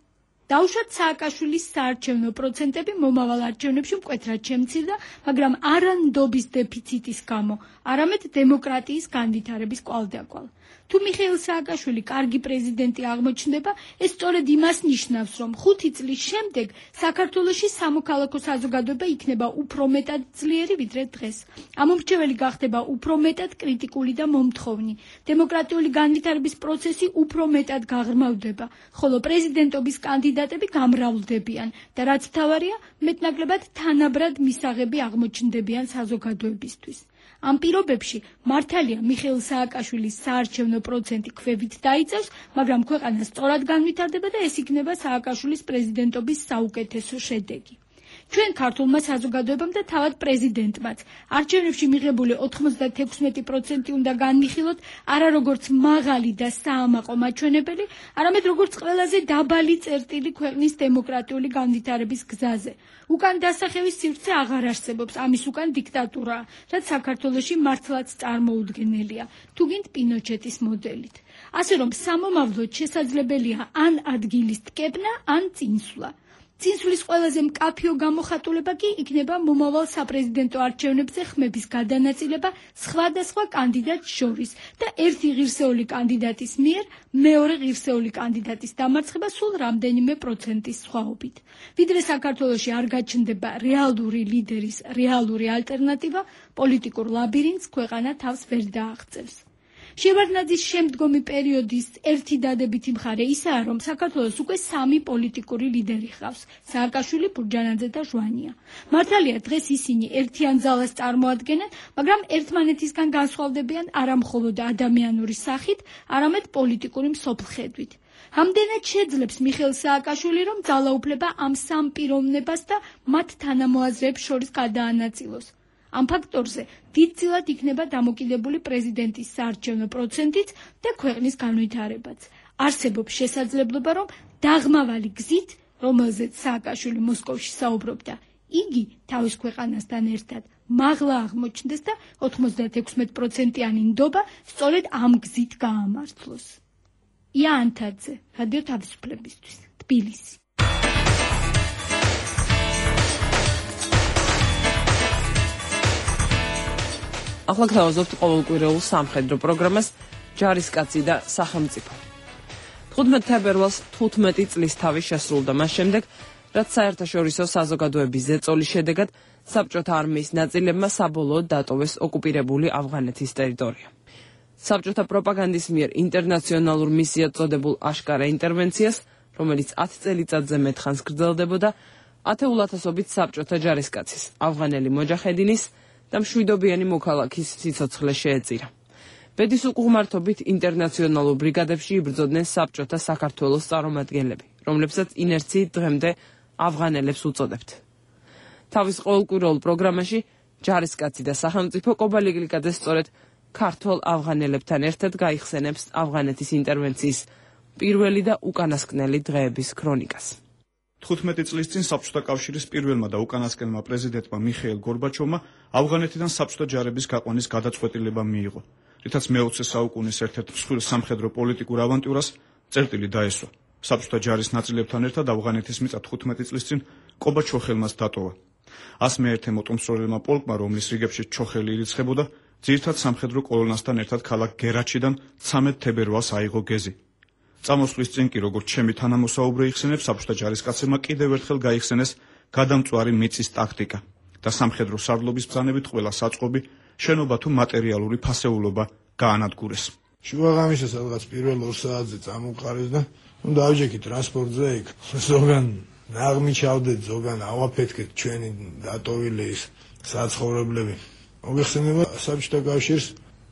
S4: დაუშვათ სააკაშვილის საარჩევნო პროცენტები მომავალ არჩევნებში მკვეთრად შემცირდა, მაგრამ არა ნდობის დეფიციტის გამო, არამედ დემოკრატიის განვითარების კვალდაკვალ. თუ მიხეილ სააკაშვილი კარგი პრეზიდენტი აღმოჩნდება, ეს სწორედ იმას ნიშნავს, რომ 5 წლის შემდეგ საქართველოში სამოქალაქო საზოგადოება იქნება უფრო მეტად ძლიერი ვიდრე დღეს. ამომრჩეველი გახდება უფრო მეტად კრიტიკული და მომთხოვნი. დემოკრატიული განვითარების პროცესი უფრო მეტად გაღრმავდება, ხოლო პრეზიდენტობის კანდიდატები გამრავლდებიან და რაც მთავარია, მეტნაკლებად თანაბრად მისაღები აღმოჩნდებიან საზოგადოებისთვის. ამ პირობებში მართალია მიხეილ სააკაშვილის საარჩევნო პროცენტი ქვევით დაიწევს, მაგრამ ქვეყანა სწორად განვითარდება და ეს იქნება სააკაშვილის პრეზიდენტობის საუკეთესო შედეგი. ჩვენ ქართულმა საზოგადოებამ და თავად პრეზიდენტმაც არჩევნებში მიღებული 96% უნდა განვიხილოთ არა როგორც მაღალი და საამაყო მაჩვენებელი, არამედ როგორც ყველაზე დაბალი წერტილი ქვეყნის დემოკრატიული განვითარების გზაზე. უკან დასახევის სივრცე აღარ არსებობს, ამის უკან დიქტატურაა, რაც საქართველოში მართლაც წარმოუდგენელია, თუ გინდ პინოჩეტის მოდელით. ასე რომ სამომავლოდ შესაძლებელია ან ადგილის ტკეპნა, ან წინსვლა. წინსვლის ყველაზე მკაფიო გამოხატულება კი იქნება მომავალ საპრეზიდენტო არჩევნებზე ხმების გადანაწილება სხვადასხვა კანდიდატს შორის და ერთი ღირსეული კანდიდატის მიერ მეორე ღირსეული კანდიდატის დამარცხება სულ რამდენიმე პროცენტის სხვაობით. ვიდრე საქართველოში არ გაჩნდება რეალური ლიდერის რეალური ალტერნატივა, პოლიტიკურ ლაბირინთს ქვეყანა თავს ვერ დააღწევს. შევარდნაძის შემდგომი პერიოდის ერთი დადებითი მხარე ისაა, რომ საქართველოს უკვე 3 პოლიტიკური ლიდერი ჰყავს: სააკაშვილი, ბურჯანაძე და ჟვანია. მართალია, დღეს ისინი ერთიან ძალას წარმოადგენენ, მაგრამ ერთმანეთისგან განსხვავდებიან არა მხოლოდ ადამიანური სახით, არამედ პოლიტიკური მსოფლხედვით. ამდენად შეძლებს მიხეილ სააკაშვილი, რომ ძალაუფლება ამ სამ პიროვნებას და მათ თანამოაზრეებს შორის გადაანაწილოს. ამ ფაქტორზე დიდწილად იქნება დამოკიდებული პრეზიდენტის საარჩევნო პროცენტიც და ქვეყნის განვითარებაც. არსებობს შესაძლებლობა, რომ დაღმავალი გზით, რომელზეც სააკაშვილი მოსკოვში საუბრობდა, იგი თავის ქვეყანასთან ერთად მაღლა აღმოჩნდეს და 96%-იანი ნდობა სწორედ ამ გზით გაამართლოს. ია ანთაძე, რადიო თავისუფლებისთვის, თბილისი.
S1: ახლა გთავაზობთ ყოველკვირეულ სამხედრო პროგრამას ჯარისკაცი და სახელმწიფო. 15 თებერვალს 15 წლის თავი შესრულდა მას შემდეგ, რაც საერთაშორისო საზოგადოების ზეწოლის შედეგად საბჭოთა არმიის ნაწილებმა საბოლოოდ დატოვეს ოკუპირებული ავღანეთის ტერიტორია. საბჭოთა პროპაგანდის მიერ ინტერნაციონალურ მისიად წოდებულ აშკარა ინტერვენციას, რომელიც 10 წელიწადზე მეტხანს გრძელდებოდა, ათეულათასობით საბჭოთა ჯარისკაცის, ავღანელი მოჯაჰედინის და მშვიდობიანი მოქალაქის სიცოცხლე შეეწირა. ბედის უყუღმართობით ინტერნაციონალურ ბრიგადებში იბრძოდნენ საბჭოთა საქართველოს წარმომადგენლები, რომლებსაც ინერციით დღემდე ავღანელებს უწოდებთ. თავის ყოველკვირეულ პროგრამაში ჯარისკაცი და სახელმწიფო კობალი გლიკაძე სწორედ ქართველ ავღანელებთან ერთად გაიხსენებს ავღანეთის ინტერვენციის პირველი და უკანასკნელი დღეების ქრონიკას.
S12: 15 წლის წინ საბჭოთა კავშირის პირველმა და უკანასკნელმა პრეზიდენტმა მიხეილ გორბაჩოვმა ავღანეთიდან საბჭოთა ჯარების გაყვანის გადაწყვეტილება მიიღო, რითაც მე-20 საუკუნის ერთ-ერთ მსხვილ სამხედრო პოლიტიკურ ავანტიურას წერტილი დაესვა. საბჭოთა ჯარის ნაწილებთან ერთად ავღანეთის მიწა 15 წლის წინ კობა ჩოხელმაც დატოვა. 101 მოტომსროლელმა პოლკმა, რომლის რიგებში ჩოხელი ირიცხებოდა, ძირითად სამხედრო კოლონასთან ერთად ქალაქ გერაჩიდან 13 თებერვალს აიღო გეზი. წამოსვლის წინ კი, როგორც ჩემი თანამოსაუბრე იხსენებს, საბჭოთა ჯარისკაცებმა კიდევ ერთხელ გაიხსენეს გადამწვარი მიწის ტაქტიკა და სამხედრო სარდლობის ბრძანებით ყველა საწყობი, შენობა თუ მატერიალური ფასეულობა გაანადგურეს.
S5: შუაღამისას რაღაც პირველ 2 საათზე წამოყარეს და დავჯექი ტრანსპორტზე იქ. ზოგან ნაღმი ჩავდეთ, ზოგან ავაფეთქეთ ჩვენი დატოვილი ის საცხოვრებლები. მოგეხსენება საბჭოთა კავშირს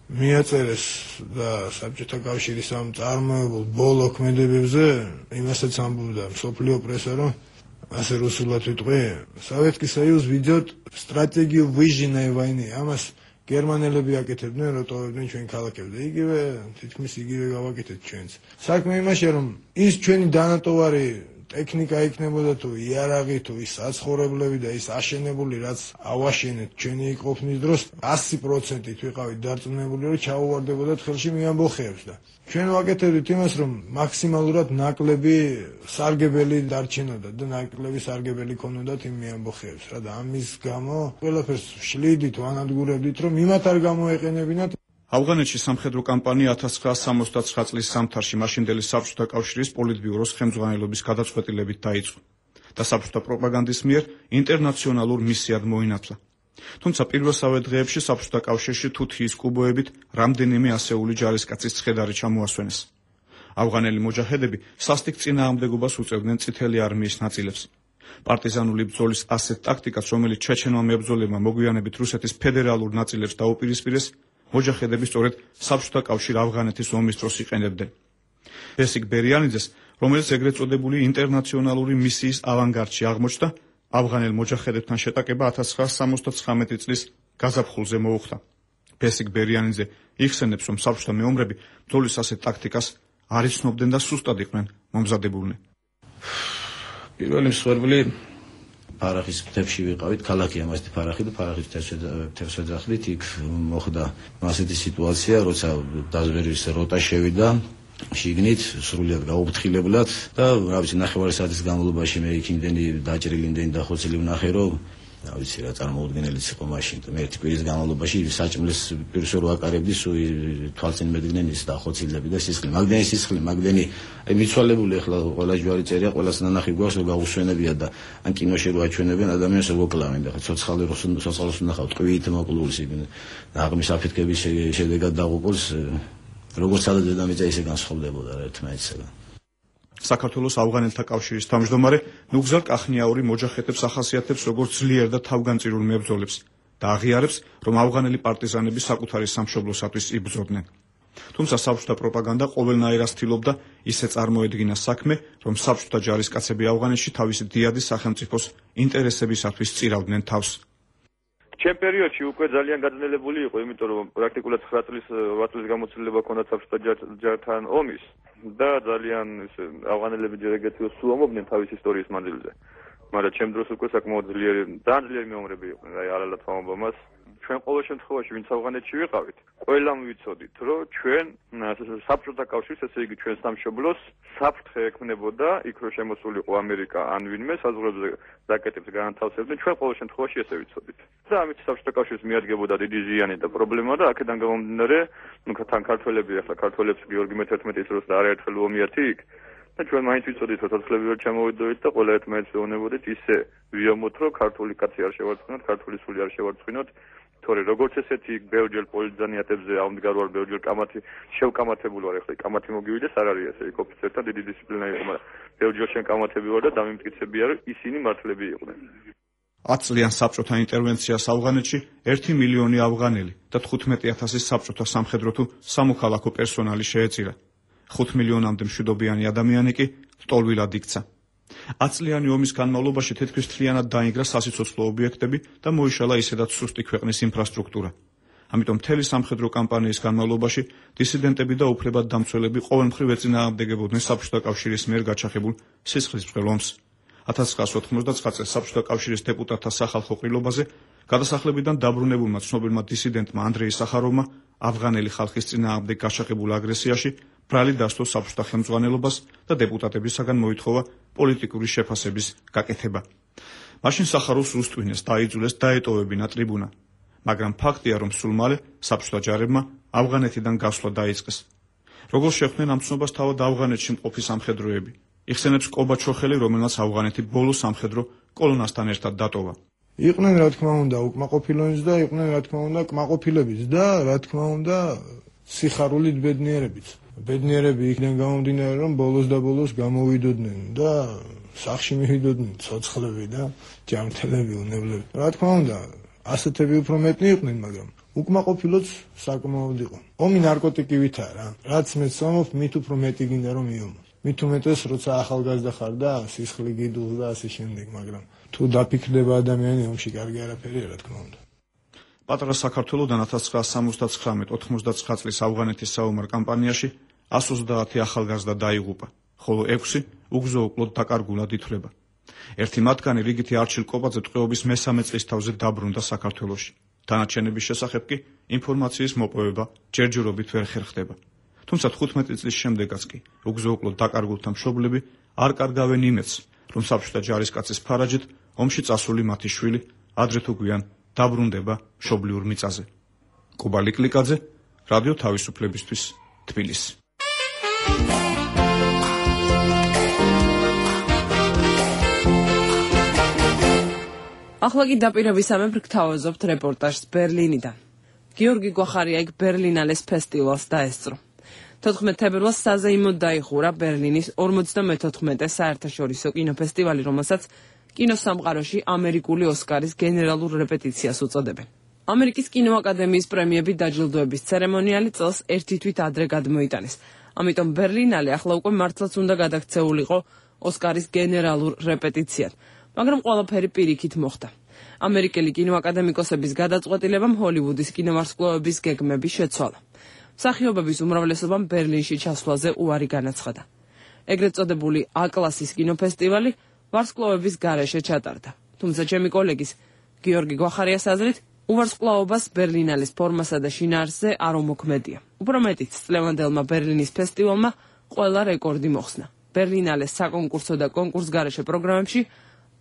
S5: მიაწერეს და საბჭოთა კავშირის ამ წარმოებულ ბოლო ქმედებებზე იმასაც ამბობდა მსოფლიო პრესა, რომ ასე რუსულად ვიტყვი, Советский Союз ведет стратегию выжженной войны. ამას გერმანელები აკეთებდნენ, რომ ტოვებდნენ ჩვენ ქალაქებს და იგივე თითქმის იგივე გავაკეთეთ ჩვენც. საქმე იმაშია, რომ ის ჩვენი დანატოვარი ტექნიკა იქნებოდა თუ იარაღი თუ ის საცხოვრებლები და ის აშენებული, რაც ავაშენეთ ჩვენი ყოფნის დროს 100%-ით ვიყავით დარწმუნებული, რომ ჩაუვარდებოდათ ხელში მიამბოხეებს და ჩვენ ვაკეთებდით იმას, რომ მაქსიმალურად ნაკლები სარგებელი დარჩენოდა და ნაკლები სარგებელი ქონოდათ იმ მიამბოხეებს რა და ამის გამო ყველაფერს შლიდით, ვანადგურებდით, რომ იმათ არ გამოეყენებინათ.
S12: ავღანეთში სამხედრო კამპანია 1969 წლის ზამთარში მაშინდელი საბჭოთა კავშირის პოლიტბიუროს ხელმძღვანელობის გადაწყვეტილებით დაიწყო და საბჭოთა პროპაგანდის მიერ ინტერნაციონალურ მისიად მოინათლა. თუმცა პირველსავე დღეებში საბჭოთა კავშირში თუთიის კუბოებით რამდენიმე ასეული ჯარისკაცის ცხედარი ჩამოასვენეს. ავღანელი მოჯაჰედები სასტიკ წინააღმდეგობას უწევდნენ წითელი არმიის ნაწილებს. პარტიზანული ბრძოლის ასეთ ტაქტიკას, რომელიც ჩეჩენმა მებრძოლებმა მოგვიანებით რუსეთის ფედერალურ ნაწილებს დაუპირისპირეს, მოჯაჰედები სწორედ საბჭოთა კავშირ ავღანეთის ომის დროს იყენებდნენ. ბესიკ ბერიანიძეს, რომელიც ეგრეთ წოდებული ინტერნაციონალური მისიის ავანგარდში აღმოჩნდა, ავღანელ მოჯაჰედებთან შეტაკება 1979 წლის გაზაფხულზე მოუხდა. ბესიკ ბერიანიძე იხსენებს, რომ საბჭოთა მეომრები ბრძოლის ასეთ ტაქტიკას არ იცნობდნენ და სუსტად იყვნენ მომზადებულნი.
S6: პირველი მსხვერპლი ფარახის მთებში ვიყავით, ქალაქი ამასეთი ფარახი და ფარახის მთებს ვეძახდით, იქ მოხდა ასეთი სიტუაცია, როცა დაზვერვის როტა შევიდა შიგნით სრულიად გაუფრთხილებლად და რა ვიცი, ნახევარი საათის განმავლობაში მე იქ იმდენი დაჭრილი, იმდენი დახოცილი ვნახე, რომ რა ვიცი რა წარმოუდგენელიც იყო მაშინ. მე ერთი კვირის განმავლობაში საჭმლის პირს რო აკარებდი, თვალწინ მედგნენ ის დახოცილები და სისხლი, მაგდენი სისხლი, მაგდენი მიცვალებული, ახლა ყველა ჯვარი წერია, ყველას ნანახი გვაქვს, რომ გაუსვენებია და ან კინოში რო აჩვენებენ ადამიანს რო მოკლავენ და ცოცხალს ვნახავ ტყვიით მოკლულს იქ ნაღმის აფეთქების შედეგად დაღუპულს, როგორც სადაც დედამიწა ისე განსხვავდებოდა ერთმანეთსაგან.
S12: საქართველოს ავღანელთა კავშირის თავმჯდომარე ნუგზარ კახნიაური მოჯაჰედებს ახასიათებს როგორც ძლიერ და თავგანწირულ მებრძოლებს და აღიარებს, რომ ავღანელი პარტიზანები საკუთარი სამშობლოსათვის იბრძოდნენ. თუმცა საბჭოთა პროპაგანდა ყოველნაირად ცდილობდა ისე წარმოედგინა საქმე, რომ საბჭოთა ჯარისკაცები ავღანეთში თავისი დიადი სახელმწიფოს ინტერესებისათვის წირავდნენ თავს.
S13: ჩემ პერიოდში უკვე ძალიან გაძლიერებული იყო, იმიტომ რომ პრაქტიკულად 9 წლის 8 წლის გამოცდილება ქონდა საბჭოთა ჯართან ომის და ძალიან ავღანელები ჯერ ეგეთიო სულამობდნენ თავის ისტორიის მანძილზე. მაგრამ ჩემ დროს უკვე საკმაოდ ძლიერი მეომრები იყვნენ, აი არალათ ვამბობ მას. ჩვენ ყოველ შემთხვევაში ვინც ავღანეთში ვიყავით, ყველამ ვიცოდით, რომ ჩვენ საბჭოთა კავშირს, ესე იგი ჩვენ სამშობლოს საფრთხე ექმნებოდა, იქ რო შემოსულიყო ამერიკა ან ვინმე საზღვრებზე რაკეტებს განათავსებდნენ, ჩვენ ყოველ შემთხვევაში ესე ვიცოდით. და ამით საბჭოთა კავშირს მიადგებოდა დიდი ზიანი და პრობლემა და აქედან გამომდინარე, თან ქართველები, ახლა ქართველებს გიორგი მე-11 წელს და არაერთხელ უომიათი იქ და ჩვენ მაინც ვიცოდით რომ ცოცხლები ვერ ჩამოვიდოდით და ყველა ერთმანეთს ეუბნებოდით ისე ვიამოთ რომ ქართული კაცი არ შევარცხინოთ, ქართული სული არ შევარცხინოთ. თორე როგორც ესეთი ბევრჯერ პოლიტზანიათებზე ამდგარ ვარ, ბევრჯერ კამათი შევკამათებული ვარ, ახლა კამათი მოგივიდეს არ არის ესე, იქ ოფიცერთან დიდი დისციპლინა იყო, მაგრამ ბევრჯერ შენ კამათები ვარ და დამიმტკიცებია რომ ისინი მართლები იყვნენ.
S12: 10 წლიან საბჭოთა ინტერვენციას ავღანეთში 1 მილიონი ავღანელი და 15,000 საბჭოთა სამხედრო თუ სამოქალაქო პერსონალი შეეწირა. 5 მილიონამდე მშვიდობიანი ადამიანი კი ტოლვილად იქცა. 10 წლიანი ომის განმავლობაში თითქმის მთლიანად დაინგრა სასიცოცხლო ობიექტები და მოიშალა ისედაც სუსტი ქვეყნის ინფრასტრუქტურა. ამიტომ მთელი სამხედრო კამპანიის განმავლობაში დისიდენტები და უფლებადდამცველები ყოველმხრივ ეწინააღმდეგებოდნენ საბჭოთა კავშირის მიერ გაჩაღებულ სისხლისმღერულ ომს. 1999 წელს საბჭოთა კავშირის დეპუტატთა სახალხო ყრილობაზე გადასახლებიდან დაბრუნებულმა ცნობილმა დისიდენტმა ანდრეი სახაროვმა ავღანელი ხალხის წინააღმდეგ გაჩაღებულ აგრესიაში ბრალი დასდო საბჭოთა ხელმძღვანელობას და დეპუტატებისაგან მოითხოვა პოლიტიკური შეფასების გაკეთება. მაშინ სახაროვს უსტვინეს, დაიძულეს დაეტოვებინა ტრიბუნა. მაგრამ ფაქტია, რომ სულ მალე საბჭოთა ჯარებმა ავღანეთიდან გასვლა დაიწყეს. როგორ შეხვდნენ ამ ცნობას თავად ავღანეთში მყოფი სამხედროები? იხსენებს კობაჩოხელი, რომელსაც ავღანეთი ბოლო სამხედრო კოლონასთან ერთად დატოვა.
S5: იყვნენ რა თქმა უნდა უკმაყოფილოებიც და იყვნენ რა თქმა უნდა კმაყოფილებიც და რა თქმა უნდა სიხარულით ბედნიერებიც. ბედნიერები იქიდან გამომდინარე რომ ბოლოს და ბოლოს გამოვიდოდნენ და სახში მივიდოდნენ ცოცხლები და ჯანმრთელები უნებლები. რა თქმა უნდა ასეთები უფრო მეტნი იყვნენ, მაგრამ უკმაყოფილოც საკმაოდ იყო. ომი ნარკოტიკივითაა რა. რაც მეც ვამბობ, მით უფრო მეტი გინდა რომ მიომო. მით უმეტეს როცა ახალგაზრდა ხარ და სისხლი გიდულს და ასე შემდეგ, მაგრამ თუ დაფიქრდება ადამიანი ომში კარგი არაფერია რა თქმა უნდა.
S12: პატარა საქართველოდან 1979-99 წლის ავღანეთის საომარ კამპანიაში 130 ახალგაზრდა დაიღუპა, ხოლო 6 უგზო-უკლოდ დაკარგულად ითვლება. ერთი მათგანი რიგითი არჩილ კოპაძე ტყვეობის მესამე წლის თავზე დაბრუნდა საქართველოში. დანარჩენების შესახებ კი ინფორმაციის მოპოვება ჯერჯერობით ვერ ხერხდება. თუმცა 15 წლის შემდეგაც კი უგზო-უკლოდ დაკარგულთა მშობლები არ კარგავენ იმედს, რომ საბჭოთა ჯარისკაცის ფარაჯით ომში წასული მათი შვილი ადრე თუ გვიან დაბრუნდება მშობლიურ მიწაზე. კუბა ლიკლიკაძე, რადიო თავისუფლებისთვის, თბილისი.
S1: ახლა კი დაპირებისამებრ გთავაზობთ რეპორტაჟს ბერლინიდან. გიორგი გვახარია იქ ბერლინალეს ფესტივალს დაესწრო. 14 თებერვალს საზეიმოდ დაიხურა ბერლინის 54 საერთაშორისო კინოფესტივალი, რომელსაც კინოსამყაროში ამერიკული ოსკარის გენერალურ რეპეტიციას უწოდებენ. ამერიკის კინოაკადემიის პრემიები დაჯილდოების ცერემონიალი წელს ერთი თვით ადრე გადმოიტანეს. ამიტომ ბერლინალე ახლა უკვე მართლაც უნდა გადაქცეულიყო ოსკარის გენერალურ რეპეტიციად, მაგრამ ყველაფერი პირიქით მოხდა. ამერიკელი კინოაკადემიკოსების გადაწყვეტილებამ ჰოლივუდის კინოვარსკვლავების გეგმები შეცვალა. მსახიობების უმრავლესობამ ბერლინში ჩასვლაზე უარი განაცხადა. ეგრეთ წოდებული A-კლასის კინოფესტივალი ვარსკვლავების გარეშე ჩატარდა. თუმცა ჩემი კოლეგის გიორგი გვახარიას აზრით, უვარსკვლავობას ბერლინალის ფორმასა და შინაარსზე არ უმოქმედია. უფრო მეტიც, წლევანდელმა ბერლინის ფესტივალმა ყველა რეკორდი მოხსნა. ბერლინალეს საკონკურსო და კონკურსგარეშე პროგრამებში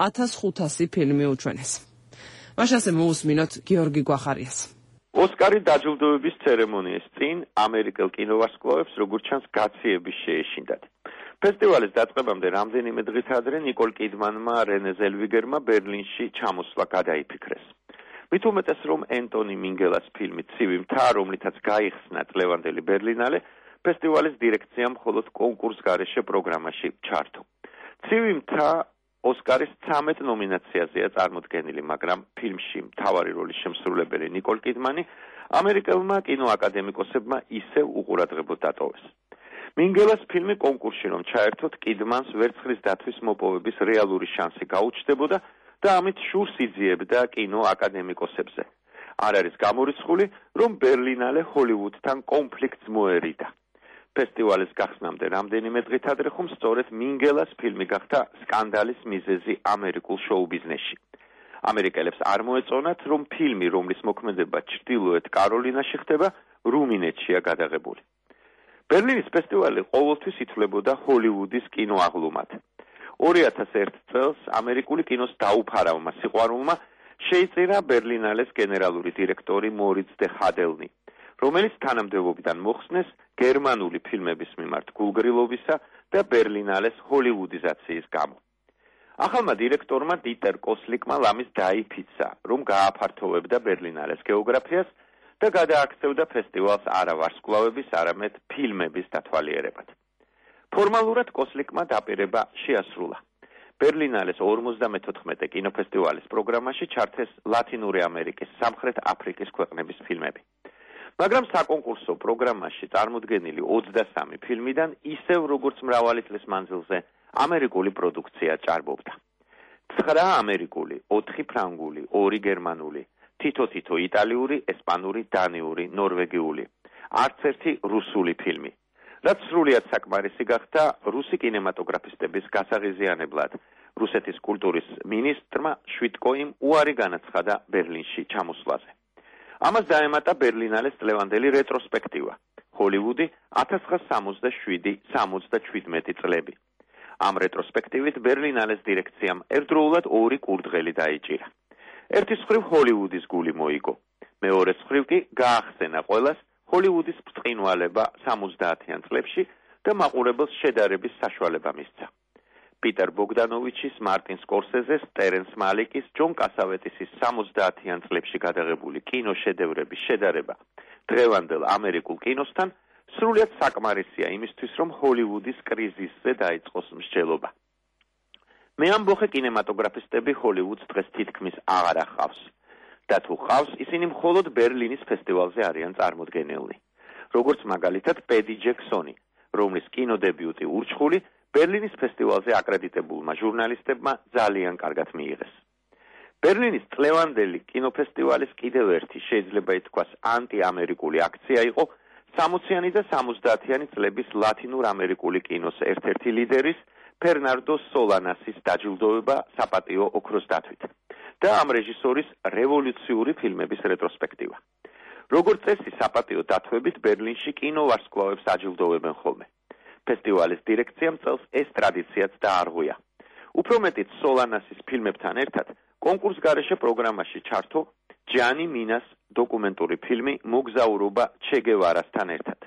S1: 1500 ფილმი უჩვენეს. მაშასე მოусმინოთ გიორგი გვახარიას.
S7: ოსკარი დაჯილდოების ცერემონიის წინ ამერიკელ კინოვარსკვლავებს როგორც ჩანს გაციების შეეშინდათ. ფესტივალის დაწყებამდე რამდენიმე დღით ადრე ნიკოლ კიდმანმა, რენე ზელვიგერმა ბერლინში ჩამოსვლა გადაიფიქრეს. მით უმეტეს რომ ენტონი მინგელას ფილმი ცივი მთა, რომლითაც გაიხსნა წლევანდელი ბერლინალე, ფესტივალის დირექციამ მხოლოდ კონკურსგარეშე პროგრამაში ჩართო. ცივი მთა ოსკარის 13 ნომინაციაზეა წარმოდგენილი, მაგრამ ფილმში მთავარი როლის შემსრულებელი ნიკოლ კიდმანი ამერიკელმა კინოაკადემიკოსებმა ისევ უყურადღებოდ დატოვეს. მინგელას ფილმი კონკურსში რომ ჩაერთოთ, კიდმანს ვერცხლის დათვის მოპოვების რეალური შანსი გაუჩნდებოდა და ამით შურს იძიებდა კინოაკადემიკოსებზე. არ არის გამორიცხული, რომ ბერლინალე ჰოლივუდთან კონფლიქტს მოერიდა. ფესტივალის გახსნამდე რამდენიმე დღით ადრე ხომ სწორედ მინგელას ფილმი გახდა სკანდალის მიზეზი ამერიკულ შოუ-ბიზნესში. ამერიკელებს არ მოეწონათ, რომ ფილმი, რომლის მოქმედება ჩრდილოეთ კაროლინაში ხდება, რუმინეთშია გადაღებული. ბერლინის ფესტივალი ყოველთვის ითვლებოდა ჰოლივუდის კინოაღლუმად. 2001 წელს ამერიკული კინოს დაუფარავმა სიყვარულმა შეიწირა ბერლინალეს გენერალური დირექტორი მორიც დე ჰადელნი, რომელიც თანამდებობიდან მოხსნეს გერმანული ფილმების მიმართ გულგრილობისა და ბერლინალეს ჰოლივუდიზაციის გამო. ახალმა დირექტორმა დიტერ კოსლიკმა ლამის დაიფიცა, რომ გააფართოვებდა ბერლინალეს გეოგრაფიას და გადააქცევდა ფესტივალს არა ვარსკვლავების, არამედ ფილმების დათვალიერებად. ფორმალურად კოსლიკმა დაპირება შეასრულა. ბერლინალეს 54 კინოფესტივალის პროგრამაში ჩართეს ლათინური ამერიკის, სამხრეთ აფრიკის ქვეყნების ფილმები. მაგრამ საკონკურსო პროგრამაში წარმოდგენილი 23 ფილმიდან ისევ როგორც მრავალი წლის მანძილზე ამერიკული პროდუქცია ჭარბობდა. 9 ამერიკული, 4 ფრანგული, 2 გერმანული, თითო იტალიური, ესპანური, დანიური, ნორვეგიული, არც ერთი რუსული ფილმი. რაც სრულიად საკმარისი გახდა რუსი კინემატოგრაფისტების გასაღიზიანებლად. რუსეთის კულტურის მინისტრმა შვიტკოიმ უარი განაცხადა ბერლინში ჩამოსვლაზე. ამას დაემატა ბერლინალეს წლევანდელი რეტროსპექტივა. ჰოლივუდი 1967-77 წლები. ამ რეტროსპექტივით ბერლინალეს დირექციამ ერთდროულად 2 კურდღელი დაიჭირა. ერთის მხრივ ჰოლივუდის გული მოიგო. მეორეს მხრივ კი გაახსენა ყველას ჰოლივუდის ბრწყინვალება 70-იან წლებში და მაყურებელს შედარების საშუალება მისცა. პიტერ ბოგდანოვიჩის, მარტინ სკორსეზეს, ტერენს მალიკის, ჯონ კასავეტისის 70-იან წლებში გადაღებული კინოშედევრების შედარება დღევანდელ ამერიკულ კინოსთან სრულიად საკმარისია იმისთვის, რომ ჰოლივუდის კრიზისზე დაიწყოს მსჯელობა. მე ამბოხე კინემატოგრაფისტები ჰოლივუდს დღეს თითქმის აღარ ახავს. და თუ ხავს, ისინი მხოლოდ ბერლინის ფესტივალზე არიან წარმოდგენილნი. როგორც მაგალითად პედი ჯექსონი, რომლის კინოდებიუტი ურჩხული ბერლინის ფესტივალზე აკრედიტებულმა ჟურნალისტებმა ძალიან კარგად მიიღეს. ბერლინის წლევანდელი კინოფესტივალის კიდევ ერთი შეიძლება ითქვას ანტიამერიკული აქცია იყო 60-იანი და 70-იანი წლების ლათინურ ამერიკული კინოს ერთ-ერთი ლიდერის ფერნანდო სოლანასის დაჯილდოვება საპატიო ოქროს დათვით და ამ რეჟისორის რევოლუციური ფილმების რეტროსპექტივა. როგორც წესი, საპატიო დათვებით ბერლინში კინოვარსკვლავებს აჯილდოვებენ ხოლმე. ფესტივალის დირექციამ წელს ეს ტრადიციაც დაარღვია. უფრო მეტიც სოლანასის ფილმებთან ერთად კონკურს გარეშე პროგრამაში ჩართო ჯანი მინას დოკუმენტური ფილმი მოგზაურობა ჩე გევარასთან ერთად.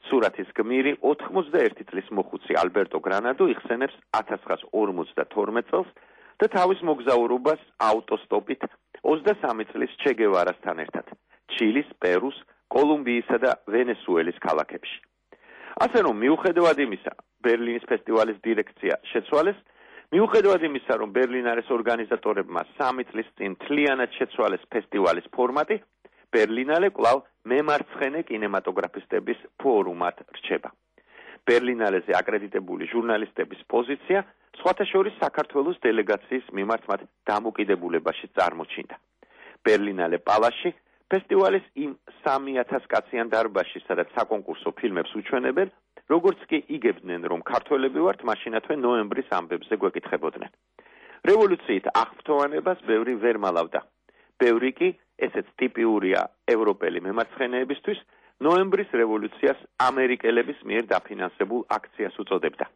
S7: სურათის გმირი 81 წლის მოხუცი ალბერტო გრანადო იხსენებს 1952 წელს და თავის მოგზაურობას აუტოსტოპით 23 წლის ჩე გევარასთან ერთად ჩილის, პერუს, კოლუმბიისა და ვენესუელის ქალაქებში. ასე რომ მიუხედავად იმისა, ბერლინის ფესტივალის დირექცია შეცვალეს, მიუხედავად იმისა, რომ ბერლინალეს ორგანიზატორებმა 3 წლის წინ მთლიანად შეცვალეს ფესტივალის ფორმატი, ბერლინალე კვლავ მემარცხენე კინემატოგრაფისტების ფორუმად რჩება. ბერლინალეზე აკრედიტებული ჟურნალისტების პოზიცია სხვათა შორის საქართველოს დელეგაციის მიმართ მათ დამოკიდებულებაში წარმოჩინდა. ბერლინალე პალაში ფესტივალის იმ 3000 კაციან დარბაზში, სადაც საკონკურსო ფილმებს უჩვენებენ, როგორც კი იგებდნენ, რომ ქართველები ვართ, მაშინათვე ნოემბრის ამბებზე გვეკითხებოდნენ. რევოლუციით აღფრთოვანებას ბევრი ვერ მალავდა. ბევრი კი, ესეც ტიპიურია ევროპელი მემარცხენეებისთვის, ნოემბრის რევოლუციას ამერიკელების მიერ დაფინანსებულ აქციას უწოდებდა.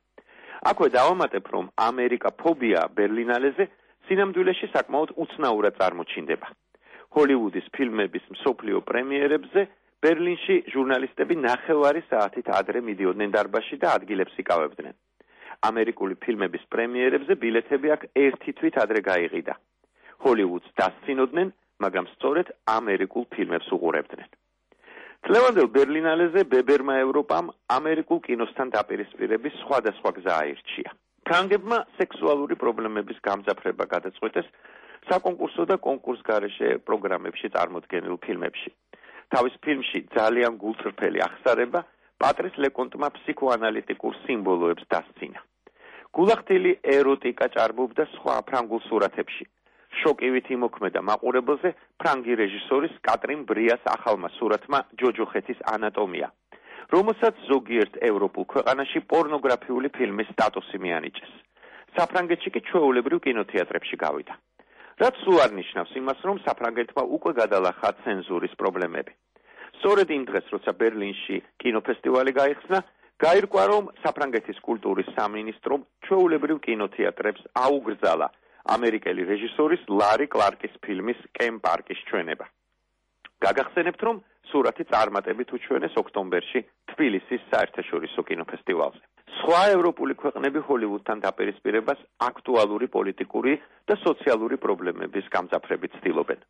S7: აქვე დავამატებ, რომ ამერიკა ფობია ბერლინალეზე სინამდვილეში საკმაოდ უცნაურად წარმოჩინდება. ჰოლივუდის ფილმების მსოფლიო პრემიერებზე ბერლინში ჟურნალისტები 9 საათით ადრე მიდიოდნენ დარბაზში და ადგილებს იკავებდნენ. ამერიკული ფილმების პრემიერებზე ბილეთები აქ ერთი თვით ადრე გაიყიდა. ჰოლივუდს დასცინოდნენ, მაგრამ სწორედ ამერიკულ ფილმებს უყურებდნენ. წლევანდელ ბერლინალეზე ბებერმა ევროპამ ამერიკულ კინოსთან დაპირისპირების სხვადასხვა გზა აირჩია. ფრანგებმა სექსუალური პრობლემების გამძაფრება გადაწყვეტეს საკონკურსო და კონკურს გარეშე პროგრამებში წარმოდგენილ ფილმებში. თავის ფილმში ძალიან გულწრფელი აღსარება პატრის ლეკონტმა ფსიქოანალიტიკურ სიმბოლოებს დასცინა. გულახდილი ეროტიკა ჭარბობდა სხვა ფრანგულ სურათებში. შოკივით იმოქმედა მაყურებელზე ფრანგი რეჟისორის კატრინ ბრიას ახალმა სურათმა ჯოჯოხეთის ანატომია, რომელსაც ზოგიერთ ევროპულ ქვეყანაში პორნოგრაფიული ფილმის სტატუსი მიანიჭეს. საფრანგეთში კი ჩვეულებრივ კინოთეატრებში გავიდა. რაც სულ არ ნიშნავს იმას, რომ საფრანგეთმა უკვე გადალახა ცენზურის პრობლემები. სწორედ იმ დღეს, როცა ბერლინში კინოფესტივალი გაიხსნა, გაირკვა, რომ საფრანგეთის კულტურის სამინისტრომ ჩვეულებრივ კინოთეატრებს აუგრძალა ამერიკელი რეჟისორის ლარი კლარკის ფილმის კემ პარკის ჩვენება. გაგახსენებთ, რომ სურათი წარმატებით უჩვენეს ოქტომბერში თბილისის საერთაშორისო კინოფესტივალზე. სხვა ევროპული ქვეყნები ჰოლივუდთან დაპირისპირებას აქტუალური პოლიტიკური და სოციალური პრობლემების გამძაფრებით ცდილობენ.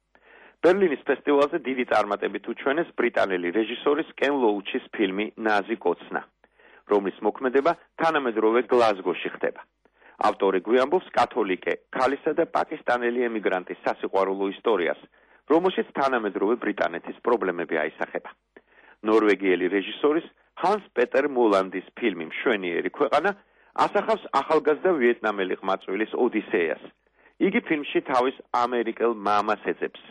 S7: ბერლინის ფესტივალზე დიდი წარმატებით უჩვენეს ბრიტანელი რეჟისორის კენ ლოუჩის ფილმი ნაზი კოცნა, რომლის მოქმედება თანამედროვე გლაზგოში ხდება. ავტორი გვიამბობს კათოლიკე ქალისა და პაკისტანელი ემიგრანტის სასიყვარულო ისტორიას, რომელშიც თანამედროვე ბრიტანეთის პრობლემები აისახება. ნორვეგიელი რეჟისორის ჰანს პეტერ მოლანდის ფილმი მშვენიერი ქვეყანა ასახავს ახალგაზრდა ვიეტნამელი ყმაწვილის ოდისეას. იგი ფილმში თავის ამერიკელ მამას ეძებს,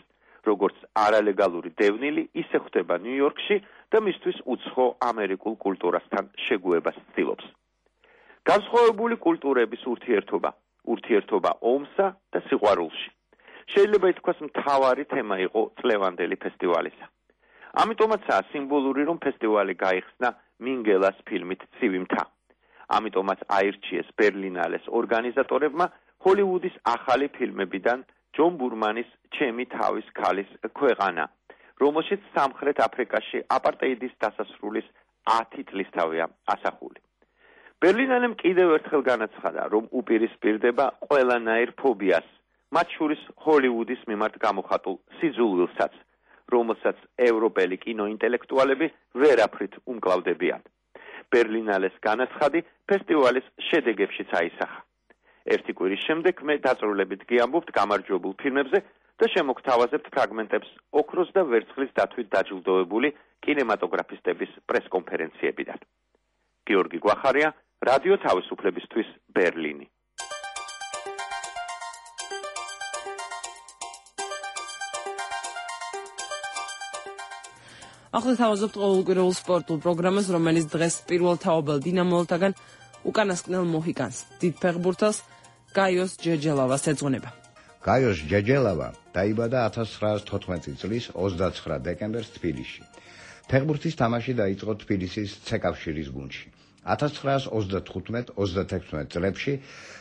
S7: როგორც არალეგალური დევნილი, ისე ხვდება ნიუ-იორკში და მისთვის უცხო ამერიკულ კულტურასთან შეგუებას ცდილობს. განსხვავებული კულტურების ურთიერთობა ომსა და სიყვარულში. შეიძლება ითქვას მთავარი თემა იყო წლევანდელი ფესტივალისა. ამიტომაცაა სიმბოლური, რომ ფესტივალი გაიხსნა მინგელას ფილმით ცივი მთა. ამიტომაც აირჩიეს ბერლინალეს ორგანიზატორებმა ჰოლივუდის ახალი ფილმებიდან ჯონ ბურმანის ჩემი თავის ქალის ქვეყანა, რომელშიც სამხრეთ აფრიკაში აპარტეიდის დასასრულის 10 წლისთავია ასახული. ბერლინალემ კიდევ ერთხელ განაცხადა, რომ უპირისპირდება ყველანაირ ფობიას, მათ შორის ჰოლივუდის მიმართ გამოხატულ სიძულვილსაც, რომელსაც ევროპელი კინოინტელექტუალები ვერაფრით უმკლავდებიან. ბერლინალეს განაცხადი ფესტივალის შედეგებშიც აისახა. ერთი კვირის შემდეგ მე დაწვრილებით გიამბობთ გამარჯვებულ ფილმებზე და შემოგთავაზებთ ფრაგმენტებს ოქროს და ვერცხლის დათვით დაჯილდოებული კინემატოგრაფისტების პრესკონფერენციებიდან. გიორგი გვახარია, რადიო თავისუფლებისთვის, ბერლინი.
S1: ახლა თავაზობთ ყოველკვირეულ სპორტულ პროგრამას, რომელიც დღეს პირველ თაობელ დინამოელთაგან უკანასკნელ მოჰიკანს, დიდ ფეხბურთელს გაიოს ჯეჯელავას ეძღვნება.
S14: გაიოს ჯეჯელავა დაიბადა 1914 წლის 29 დეკემბერს თბილისში. ფეხბურთის თამაში დაიწყო თბილისის ცეკავშირის გუნდში. 1935-36 წლებში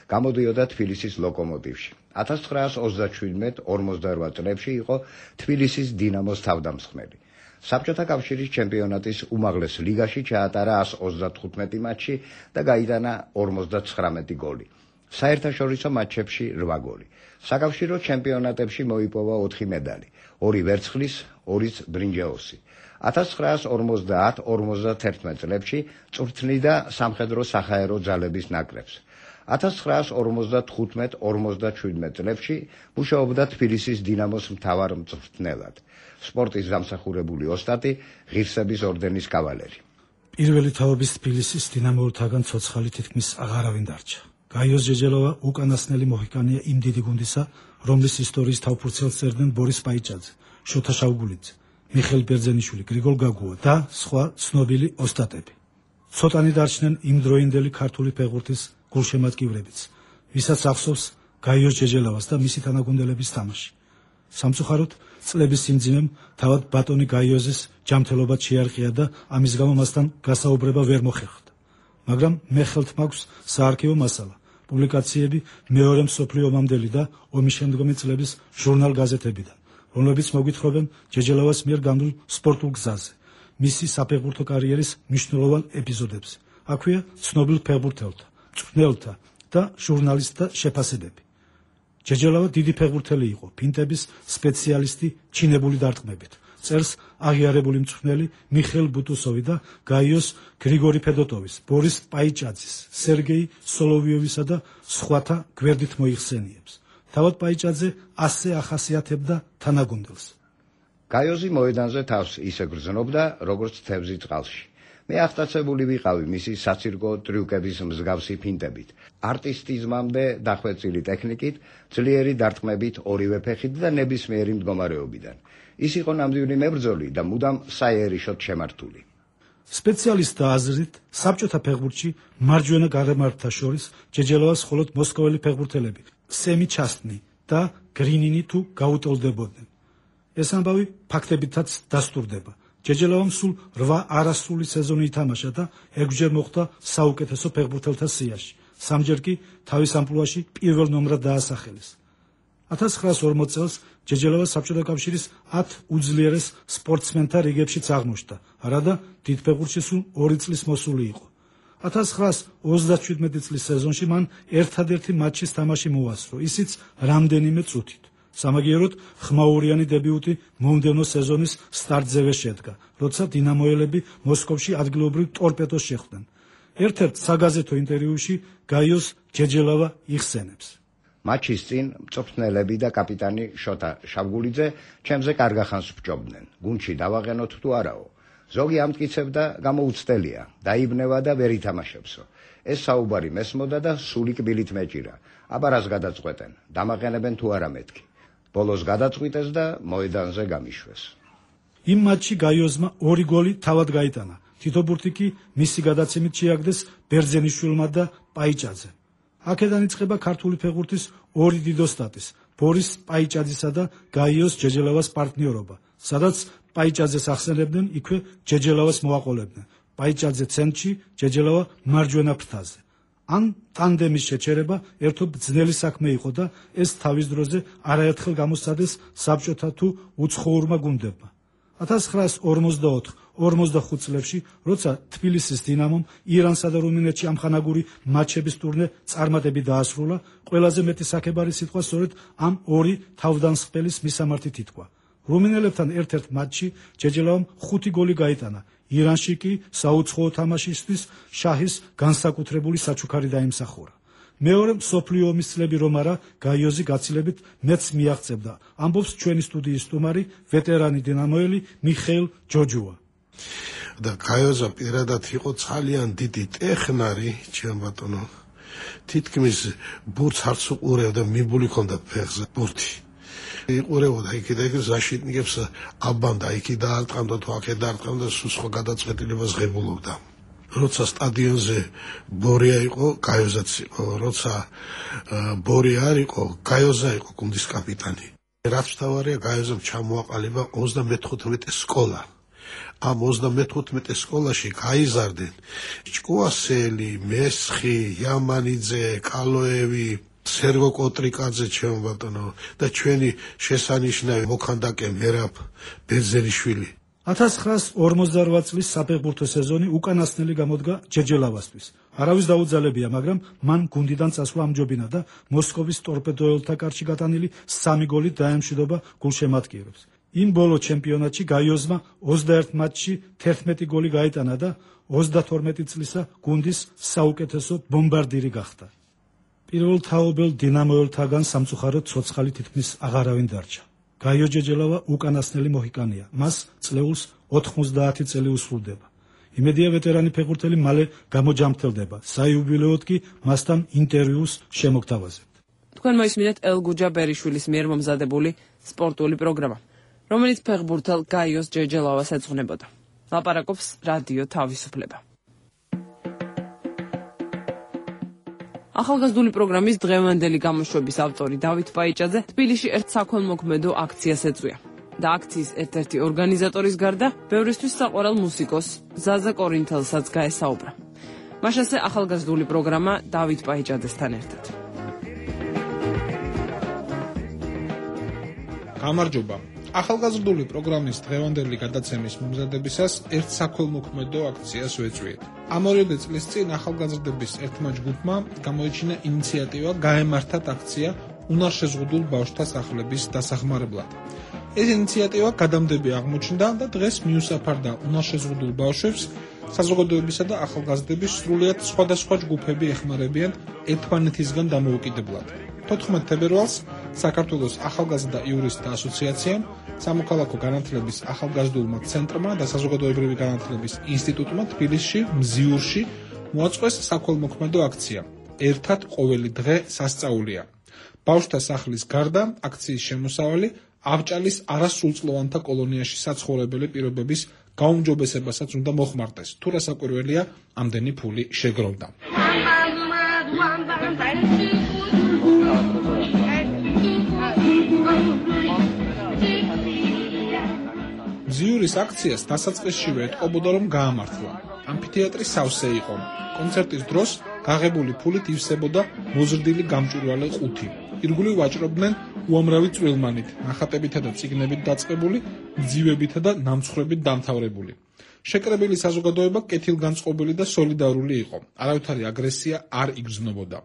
S14: გამოდიოდა თბილისის ლოკომოტივში. 1937-48 წლებში იყო თბილისის დინამოს თავდამსხმელი. საბჭოთა კავშირის ჩემპიონატის უმაღლეს ლიგაში ჩაატარა 135 მატჩი და გაიტანა 59 გოლი. საერთაშორისო მატჩებში 8 გოლი. საკავშირო ჩემპიონატებში მოიპოვა 4 მედალი, 2 ვერცხლის, 2 ბრინჯაოსი. 1950-51 წლებში წვრთნიდა სამხედრო სახაერო ძალების ნაკრებს. 1955-57 წლებში მუშაობდა თბილისის დინამოს მთავარ მწვრთნელად. სპორტის დამსახურებული ოსტატი, ღირსების ორდენის კავალერი.
S15: პირველი თაობის თბილისის დინამოელთაგან ცოცხალი თითქმის აღარავინ დარჩა. გაიოს ჯეჯელავა უკანასკნელი მოჰიკანია იმ დიდი გუნდისა, რომლის ისტორიის თავფურცელს წერდნენ ბორის პაიჭაძე, შოთა შავგულიძე, მიხეილ ბერძენიშვილი, გრიგოლ გაგუა და სხვა ცნობილი ოსტატები. ცოტანი დარჩნენ იმდროინდელი ქართული ფეხბურთის გულშემატკივრებიც, ვისაც ახსოვს გაიოს ჯეჯელავას და მისი თანაგუნდელების თამაში. სამწუხაროდ წლების სიმძიმემ თავად ბატონი გაიოზის ჯანმრთელობა შეარყია და ამის გამო მასთან გასაუბრება ვერ მოხერხდა. მაგრამ მე ხელთ მაქვს საარქივო მასალა, პუბლიკაციები მეორე მსოფლიო ომამდელი და ომის შემდგომი წლების ჟურნალ-გაზეთებიდან, რომლებიც მოგვითხრობენ ჯეჯელავას მიერ გამდულ სპორტულ გზაზე, მისი საფეხბურთო კარიერის მნიშვნელოვან ეპიზოდებზე. აქვეა ცნობილ ფეხბურთელთა, მწვრთნელთა და ჟურნალისტთა შეფასებები. ჯეჯელავა დიდი ფეხბურთელი იყო, ფინტების სპეციალისტი ჩინებული დარტყმებით. წერს აღიარებული მწვრთნელი მიხეილ ბუტუსოვი და გაიოს გრიგორი ფედოტოვის, ბორის პაიჭაძის, სერგეი სოლოვიოვისა და სხვათა გვერდით მოიხსენიებს. თავად პაიჭაძე ასე ახასიათებდა თანაგუნდელს.
S14: გაიოზი მოედანზე თავს ისე გრძნობდა, როგორც თევზი წყალში. მე აღტაცებული ვიყავი მისი საცირკო ტრიუკების მსგავსი ფინტებით, არტისტიზმამდე დახვეწილი ტექნიკით, ძლიერი დარტყმებით ორივე ფეხით და ნებისმიერი მდგომარეობიდან. ის იყო ნამდვილი მებრძოლი და მუდამ საიერიშოდ შემართული.
S15: სპეციალისტთა აზრით, საბჭოთა ფეხბურთში მარჯვენა გარემართა შორის ჯეჯელავას მხოლოდ მოსკოველი ფეხბურთელები, სემი ჩასტნი და გრინინი თუ გაუტოლდებოდნენ. ეს ამბავი ფაქტებითაც დასტურდება. ჯეჯელავამ სულ 8 არასრული სეზონი ითამაშა და 6-ჯერ მოხვდა საუკეთესო ფეხბურთელთა სიაში. 3-ჯერ კი თავის ამპლუაში პირველ ნომრად დაასახელეს. 1940 წელს ჯეჯელავა საბჭოთა კავშირის 10 უძლიერეს სპორტსმენთა რიგებშიც აღმოჩნდა, არადა დიდფეხბურთში სულ 2 წლის მოსული იყო. 1937 წლის სეზონში მან ერთადერთი მატჩის თამაში მოასწრო, ისიც რამდენიმე წუთით. სამაგიეროდ ხმაურიანი დებიუტი მომდევნო სეზონის სტარტზევე შედგა, როცა დინამოელები მოსკოვში ადგილობრივ ტორპედოს შეხვდნენ. ერთ-ერთ საგაზეთო ინტერვიუში გაიოს ჯეჯელავა იხსენებს.
S14: მატჩის წინ მწვრთნელები და კაპიტანი შოთა შავგულიძე ჩემზე კარგახანს ბჭობდნენ. გუნდში დავაყენოთ თუ არაო. ზოგი ამტკიცებდა გამოუცდელია, დაიბნევა და ვერ ითამაშებსო. ეს საუბარი მესმოდა და სული კბილით მეჭირა. აბა რას გადაწყვეტენ? დამაყენებენ თუ არა მეთქი. ბოლოს გადაწყვიტეს და მოედანზე გამიშვეს.
S15: იმ მატჩში გაიოზმა 2 გოლი თავად გაიტანა. თითო ბურთი კი მისი გადაცემით შეაგდეს ბერძენიშვილმა და პაიჭაძემ. აქედან იწყება ქართული ფეხბურთის 2 დიდოსტატის, ბორის პაიჭაძისა და გაიოს ჯეჯელავას პარტნიორობა, სადაც პაიჭაძეს ახსენებდნენ, იქვე ჯეჯელავას მოაყოლებდნენ. პაიჭაძე ცენტრში, ჯეჯელავა მარჯვენა ფრთაზე. ან ტანდემის შეჩერება ერთობ ძნელი საქმე იყო და ეს თავის დროზე არაერთხელ გამოსცადეს საბჭოთა თუ უცხოურმა გუნდებმა. 1944-45 წლებში, როცა თბილისის დინამომ ირანსა და რუმინეთში ამხანაგური მატჩების ტურნე წარმატებით დაასრულა, ყველაზე მეტი საქებარი სიტყვა სწორედ ამ 2 თავდამსხმელის მისამართით ითქვა. რუმინელებთან ერთ-ერთ მატჩში ჯეჯელავამ 5 გოლი გაიტანა. ირანში კი საუცხოო თამაშისთვის შაჰის განსაკუთრებული საჩუქარი დაიმსახურა. მეორე მსოფლიო ომის წლები რომ არა, გაიოზი გაცილებით მეც მიაღწევდა, ამბობს ჩვენი სტუდიის სტუმარი, ვეტერანი დინამოელი მიხეილ ჯოჯუა.
S16: და გაიოზა პირადად იყო ძალიან დიდი ტექნარი, ჩემ ბატონო. თითქმის ბურთს არც უყურებდა, მიბული ჰქონდა ფეხზე ბურთი. იყურებოდა იქ და იქ ზაშიტნიკებს აბანდა, იქ დაარტყამდა თუ აქ დაარტყამდა, სულ სხვა გადაწყვეტილებას ღებულობდა. როცა სტადიონზე ბორია იყო, გაიოზაც იყო, როცა ბორია არ იყო, გაიოზა იყო გუნდის კაპიტანი. რაც მთავარია, გაიოზამ ჩამოაყალიბა 35 სკოლა. ამ 35 სკოლაში გაიზარდნენ ჭკუასელი, მესხი, იამანიძე, კალოევი, სერგო კოტრიკაძე, ჩემო ბატონო, და ჩვენი შესანიშნავი მოქანდაკე მერაბ ბერძენიშვილი.
S15: 1948 წლის საფეხბურთო სეზონი უკანასკნელი გამოდგა ჯეჯელავასთვის. არავის დაუძალებია, მაგრამ მან გუნდიდან წასვლა ამჯობინა და მოსკოვის ტორპედოელთა კარში გატანილი 3 გოლით დაემშვიდობა გულშემატკივრებს. იმ ბოლო ჩემპიონატში გაიოზმა 21 მატჩში 11 გოლი გაიტანა და 32 წლისა გუნდის საუკეთესო ბომბარდირი გახდა. პირველ თაობელ დინამოელთაგან სამწუხაროდ ცოცხალი თითქმის აღარავინ დარჩა. გაიო ჯეჯელავა უკანასკნელი მოჰიკანია. მას წლეულს 90 წელი უსრულდება. იმედია ვეტერანი ფეხბურთელი მალე გამოჯამრთელდება. საიუბილეოდ კი მასთან ინტერვიუს შემოგთავაზებთ.
S1: თქვენ მოისმინეთ ელგუჯა ბერიშვილის მიერ მომზადებული სპორტული პროგრამა, რომელიც ფეხბურთელ გაიოს ჯეჯელავას ეძღვნებოდა. ლაპარაკობს რადიო თავისუფლება. ახალგაზრდული პროგრამის დღევანდელი გამოშვების ავტორი დავით პაიჭაძე თბილისში ერთ საქველმოქმედო აქციას ეწვია და აქციის ერთ-ერთი ორგანიზატორის გარდა ბევრისთვის საყვარელ მუსიკოს ზაზა კორინთელსაც გაესაუბრა. მაშასე ახალგაზრდული პროგრამა დავით პაიჭაძესთან ერთად.
S12: გამარჯობა. ახალგაზრდული პროგრამის დღევანდელი გადაცემის მომზადებისას ერთ საქველმოქმედო აქციას ვეწვიეთ. ამ 2 წლის წინ ახალგაზრდების ერთმა ჯგუფმა გამოიჩინა ინიციატივა გაემართათ აქცია უნარშეზღუდულ ბავშვთა სახლების დასახმარებლად. ეს ინიციატივა გადამდები აღმოჩნდა და დღეს მიუსაფარდა უნარშეზღუდულ ბავშვებს საზოგადოებისა და ახალგაზრდების სრულიად სხვადასხვა ჯგუფები ეხმარებიან ერთმანეთისგან დამოუკიდებლად. 14 თებერვალს საქართველოს ახალგაზრდა იურისტთა ასოციაციამ, სამოქალაქო განათლების ახალგაზრდულმა ცენტრმა და საზოგადოებრივი განათლების ინსტიტუტმა თბილისში, მზიურში მოაწყვეს საქველმოქმედო აქცია. ერთად ყოველი დღე სასწაულია. ბავშვთა სახლის გარდა აქციის შემოსავალი ავჭალის არასრულწლოვანთა კოლონიაში საცხოვრებელი პირობების გაუმჯობესებასაც უნდა მოხმარდეს. თუ რა საკვირველია, ამდენი ფული შეგროვდა. მზიურის აქციას დასაწყისშივე ეტყობოდა, რომ გაამართლა. ამფითეატრი სავსე იყო. კონცერტის დროს გაღებული ფულით ივსებოდა მოზრდილი გამჭვირვალე ყუთი. ირგვლივ ვაჭრობდნენ
S17: უამრავი წვრილმანით, ნახატებითა და წიგნებით დაწყებული, ძივებითა და ნამცხრებით დამთავრებული. შეკრებილი საზოგადოება კეთილგანწყობილი და სოლიდარული იყო. არავითარი აგრესია არ იგრძნობოდა.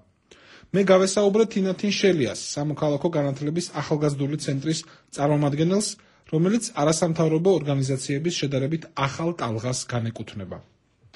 S17: მე გავესაუბრე თინათინ შელიას, სამოქალაქო განათლების ახალგაზრდული ცენტრის წარმომადგენელს, რომელიც არასამთავრობო ორგანიზაციების შედარებით ახალ ტალღას განეკუთვნება.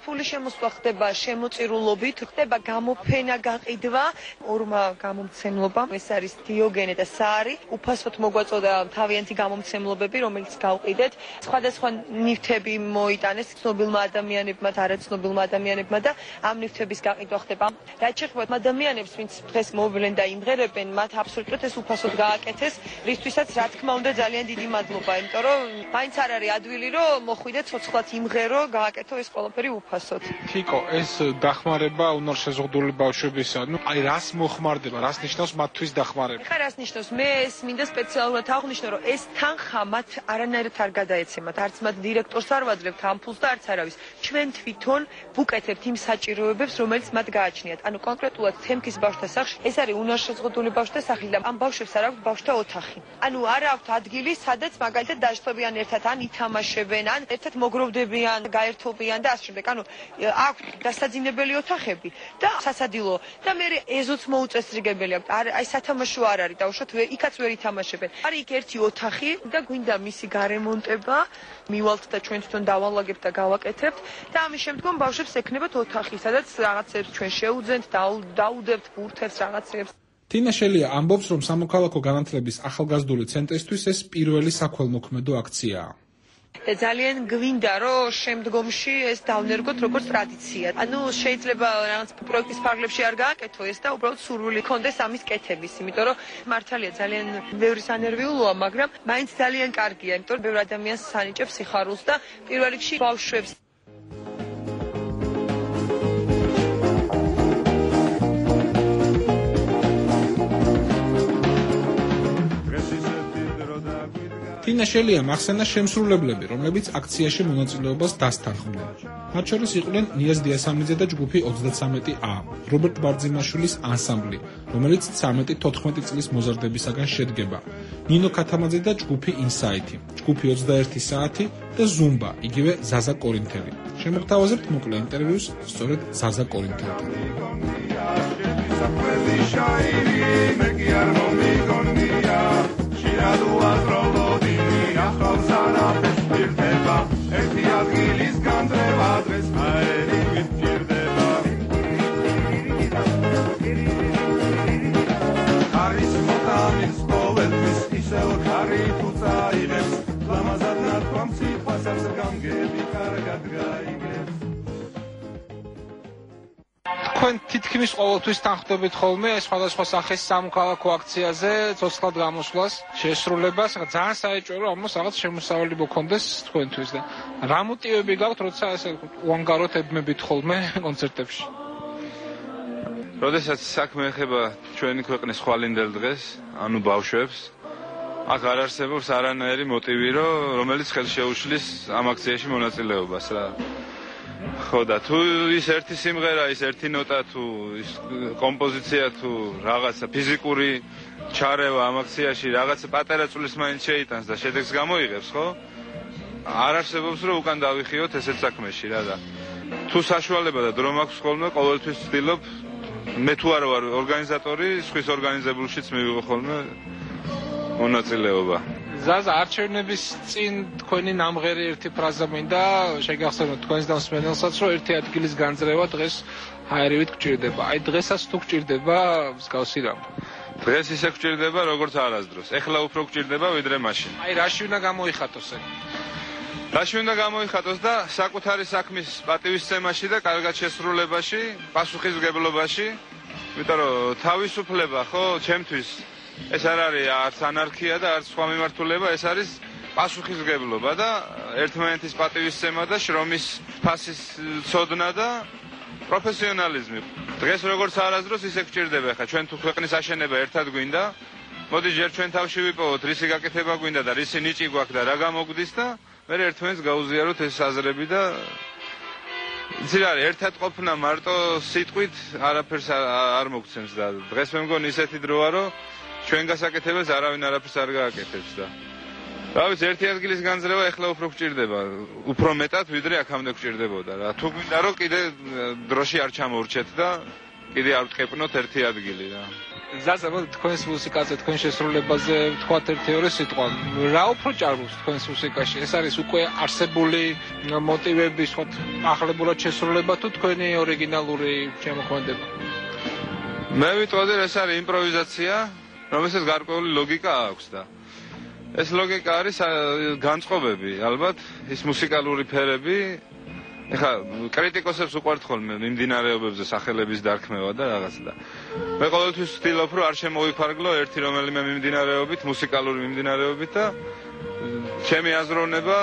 S18: ფული შემოსვლა ხდება შემოწირულობით, ხდება გამოფენა, გაყიდვა, ორმა გამომცემლობამ, ეს არის დიოგენე და საარი, უფასოდ მოგვაწოდა თავიანთი გამომცემლობები, რომელიც გავყიდეთ. სხვადასხვა ნივთები მოიტანეს ცნობილმა ადამიანებმა, არაცნობილმა ადამიანებმა და ამ ნივთების გაყიდვა ხდება. რაც შეეხება ადამიანებს, ვინც დღეს მოვიდნენ და იმღერებენ, მათ აბსოლუტურად ეს უფასოდ გააკეთეს, რისთვისაც რა თქმა უნდა ძალიან დიდი მადლობა, იმიტომ რომ მაინც არ არის ადვილი, რომ მოხვიდეთ ცოცხლად იმღერო, გააკეთო ეს ყველაფერი უფასოდ.
S17: თიკო, ეს დახმარება უნარშეზღუდული ბავშვებისა, აი რას მოხმარდება, რას ნიშნავს მათთვის დახმარება?
S18: ხა რას ნიშნავს? მე ეს მინდა სპეციალურად აღვნიშნო, რომ ეს თანხა მათ არანაირად არ გადაეცემათ, არც მათ დირექტორს არ ვაძლევთ ამ ფულს და არც არავის. ჩვენ თვითონ ვუკეთებთ იმ საჭიროებებს, რომელიც მათ გააჩნიათ. ანუ კონკრეტულად თემქის ბავშვთა სახლში ეს არის უნარშეზღუდული ბავშვთა სახლი და ამ ბავშვებს არ აქვს ბავშვთა ოთახი. ანუ არ აქვს ადგილი, სადაც მაგალითად დაჯდობიან ერთად, ან ითამაშებენ, ან ერთად მოგროვდებიან, გაერთობიან და ასე შემდეგ. ანუ აქვს დასაძინებელი ოთახები და სასადილო და მე ეზოც მოუწესრიგებელი აქვს. აი სათამაშო არ არის დაუშვათ, იქაც ვერ ითამაშებენ. არის იქ ერთი ოთახი და გვინდა მისი გარემონტება, მივალთ და ჩვენ თვითონ დავალაგებთ და გავაკეთებთ და ამის შემდგომ ბავშვებს ექნებათ ოთახი, სადაც რაღაცებს ჩვენ შეუძენთ, დაუდებთ ბურთებს რაღაცებს.
S17: თინა შელია ამბობს, რომ სამოქალაქო განათლების ახალგაზრდული ცენტრისთვის ეს პირველი საქველმოქმედო აქციაა.
S18: და ძალიან გვინდა, რომ შემდგომში ეს დავნერგოთ როგორც ტრადიცია. ანუ შეიძლება რაღაც პროექტის ფარგლებში არ გააკეთო ეს და უბრალოდ სურვილი ქონდეს ამის კეთების, იმიტომ რომ მართალია ძალიან ბევრი სანერვიულოა, მაგრამ მაინც ძალიან კარგია, იმიტომ რომ ბევრი ადამიანს სანიჭებს სიხარულს და პირველ რიგში ბავშვებს. თინა შელია მახსენა შემსრულებლები, რომლებიც აქციაში მონაწილეობას დასთანხმდნენ. მათ შორის იყვნენ ნიაზ დიასამიძე და ჯგუფი 33A, რობერტ ბარძიმაშვილის ანსამბლი, რომელიც 13-14 წლის მოზარდებისაგან შედგება, ნინო ქათამაძე და ჯგუფი ინსაითი, ჯგუფი 21 საათი და ზუმბა, იგივე ზაზა კორინთელი. შემოგთავაზებთ მოკლე ინტერვიუს სწორედ ზაზა კორინთელთან.
S19: ერთი ადგილის განდრევა დღეს აერი გვირდება არის მოტანის ყოველთვის ისევ ხარი თუ წაიღებს ლამაზად ნათქვამ სიყვასაც გამგები კარგად გაიგებს
S17: თქვენ თითქმის ყოველთვის თანხმდებით ხოლმე სხვადასხვა სახის სამოქალაქო აქციაზე ცოცხლად გამოსვლას, შესრულებას, ძალიან საეჭვო რომ ამას რაღაც შემოსავალი მოქონდეს თქვენთვის და რა მოტივები გაქვთ, როცა ესე უანგაროთ ებმებით ხოლმე კონცერტებში?
S8: როდესაც საქმე ეხება ჩვენი ქვეყნის ხვალინდელ დღეს, ანუ ბავშვებს, აქ არ არსებობს არანაირი მოტივი, რომელიც ხელს შეუშლის ამ აქციაში მონაწილეობას რა. ხო და თუ ის ერთი სიმღერა, ის ერთი ნოტა, თუ ის კომპოზიცია, თუ რაღაცა ფიზიკური ჩარევა ამ აქციაში რაღაცა პატარა წulis მაინც შეიტანს და შედეგს გამოიღებს, ხო? არ არსებობს რომ უკან დავიხიოთ ესეთ საქმეში რა და თუ საშუალება და დრო მაქვს ხოლმე ყოველთვის ვცდილობ მე თუ არ ვარ ორგანიზატორი, სხვის ორგანიზებულშიც მივიღო ხოლმე მონაწილეობა. ზაზა, არჩევნების წინ თქვენი ნამღერი ერთი ფრაზა მინდა შეგახსენოთ თქვენს დამსმენელსაც, რომ ერთი ადგილის განძრევა დღეს ჰაერივით გჭირდება. აი დღესაც თუ გჭირდება მსგავსი რამ? დღეს ისე გჭირდება, როგორც არასდროს. ეხლა უფრო გჭირდება, ვიდრე მაშინ. აი რაში უნდა გამოიხატოს ეგ? რაში უნდა გამოიხატოს და საკუთარი საქმის პატივისცემაში და კარგად შესრულებაში, პასუხისმგებლობაში, იმიტომ რომ თავისუფლება, ხო, ჩემთვის ეს არ არის არც ანარქია და არც სხვა მიმართულება, ეს არის პასუხისმგებლობა და ერთმანეთის პატივისცემა და შრომის ფასის ცოდნა და პროფესიონალიზმი. დღეს როგორც არასდროს ისე გჭირდება, ხა ჩვენ თუ ქვეყნის აშენება ერთად გვინდა, მოდი ჯერ ჩვენ თავში ვიპოვოთ, რისი გაკეთება გვინდა და რისი ნიჭი გვაქვს და რა გამოგვდის და მე ერთმანეთს გაუზიაროთ ეს აზრები და იცი რა არის, ერთად ყოფნა მარტო სიტყვით არაფერს არ მოგცემს და დღეს მე მგონი ისეთი დროა, რომ
S20: ჩვენ გასაკეთებელს არავინ არაფერს არ გააკეთებს და რა ვიცი ერთი ადგილის განძრევა ეხლა უფრო გჭირდება უფრო მეტად ვიდრე აქამდე გჭირდებოდა რა თუ გვინდა რომ კიდე დროში არ ჩამოვრჩეთ და კიდე არ ვტყეპნოთ ერთი ადგილი რა
S8: ზაზა თქვენს მუსიკაზე თქვენ შესრულებაზე ვთქვათ ერთი-ორი სიტყვა რა უფრო ჭარბობს თქვენს მუსიკაში ეს არის უკვე არსებული მოტივების ვთქვათ ახლებურად შესრულება თუ თქვენი ორიგინალური შემოქმედება
S20: მე ვიტყოდი ეს არის იმპროვიზაცია რომელსაც გარკვეული ლოგიკა აქვს და ეს ლოგიკა არის განწყობები ალბათ ის მუსიკალური ფერები ეხა კრიტიკოსებს უყვართ ხოლმე მიმდინარეობებზე სახელების დარქმევა და რაღაც და მე ყოველთვის ვცდილობ რომ არ შემოვიფარგლო ერთი რომელიმე მიმდინარეობით მუსიკალური მიმდინარეობით და ჩემი აზროვნება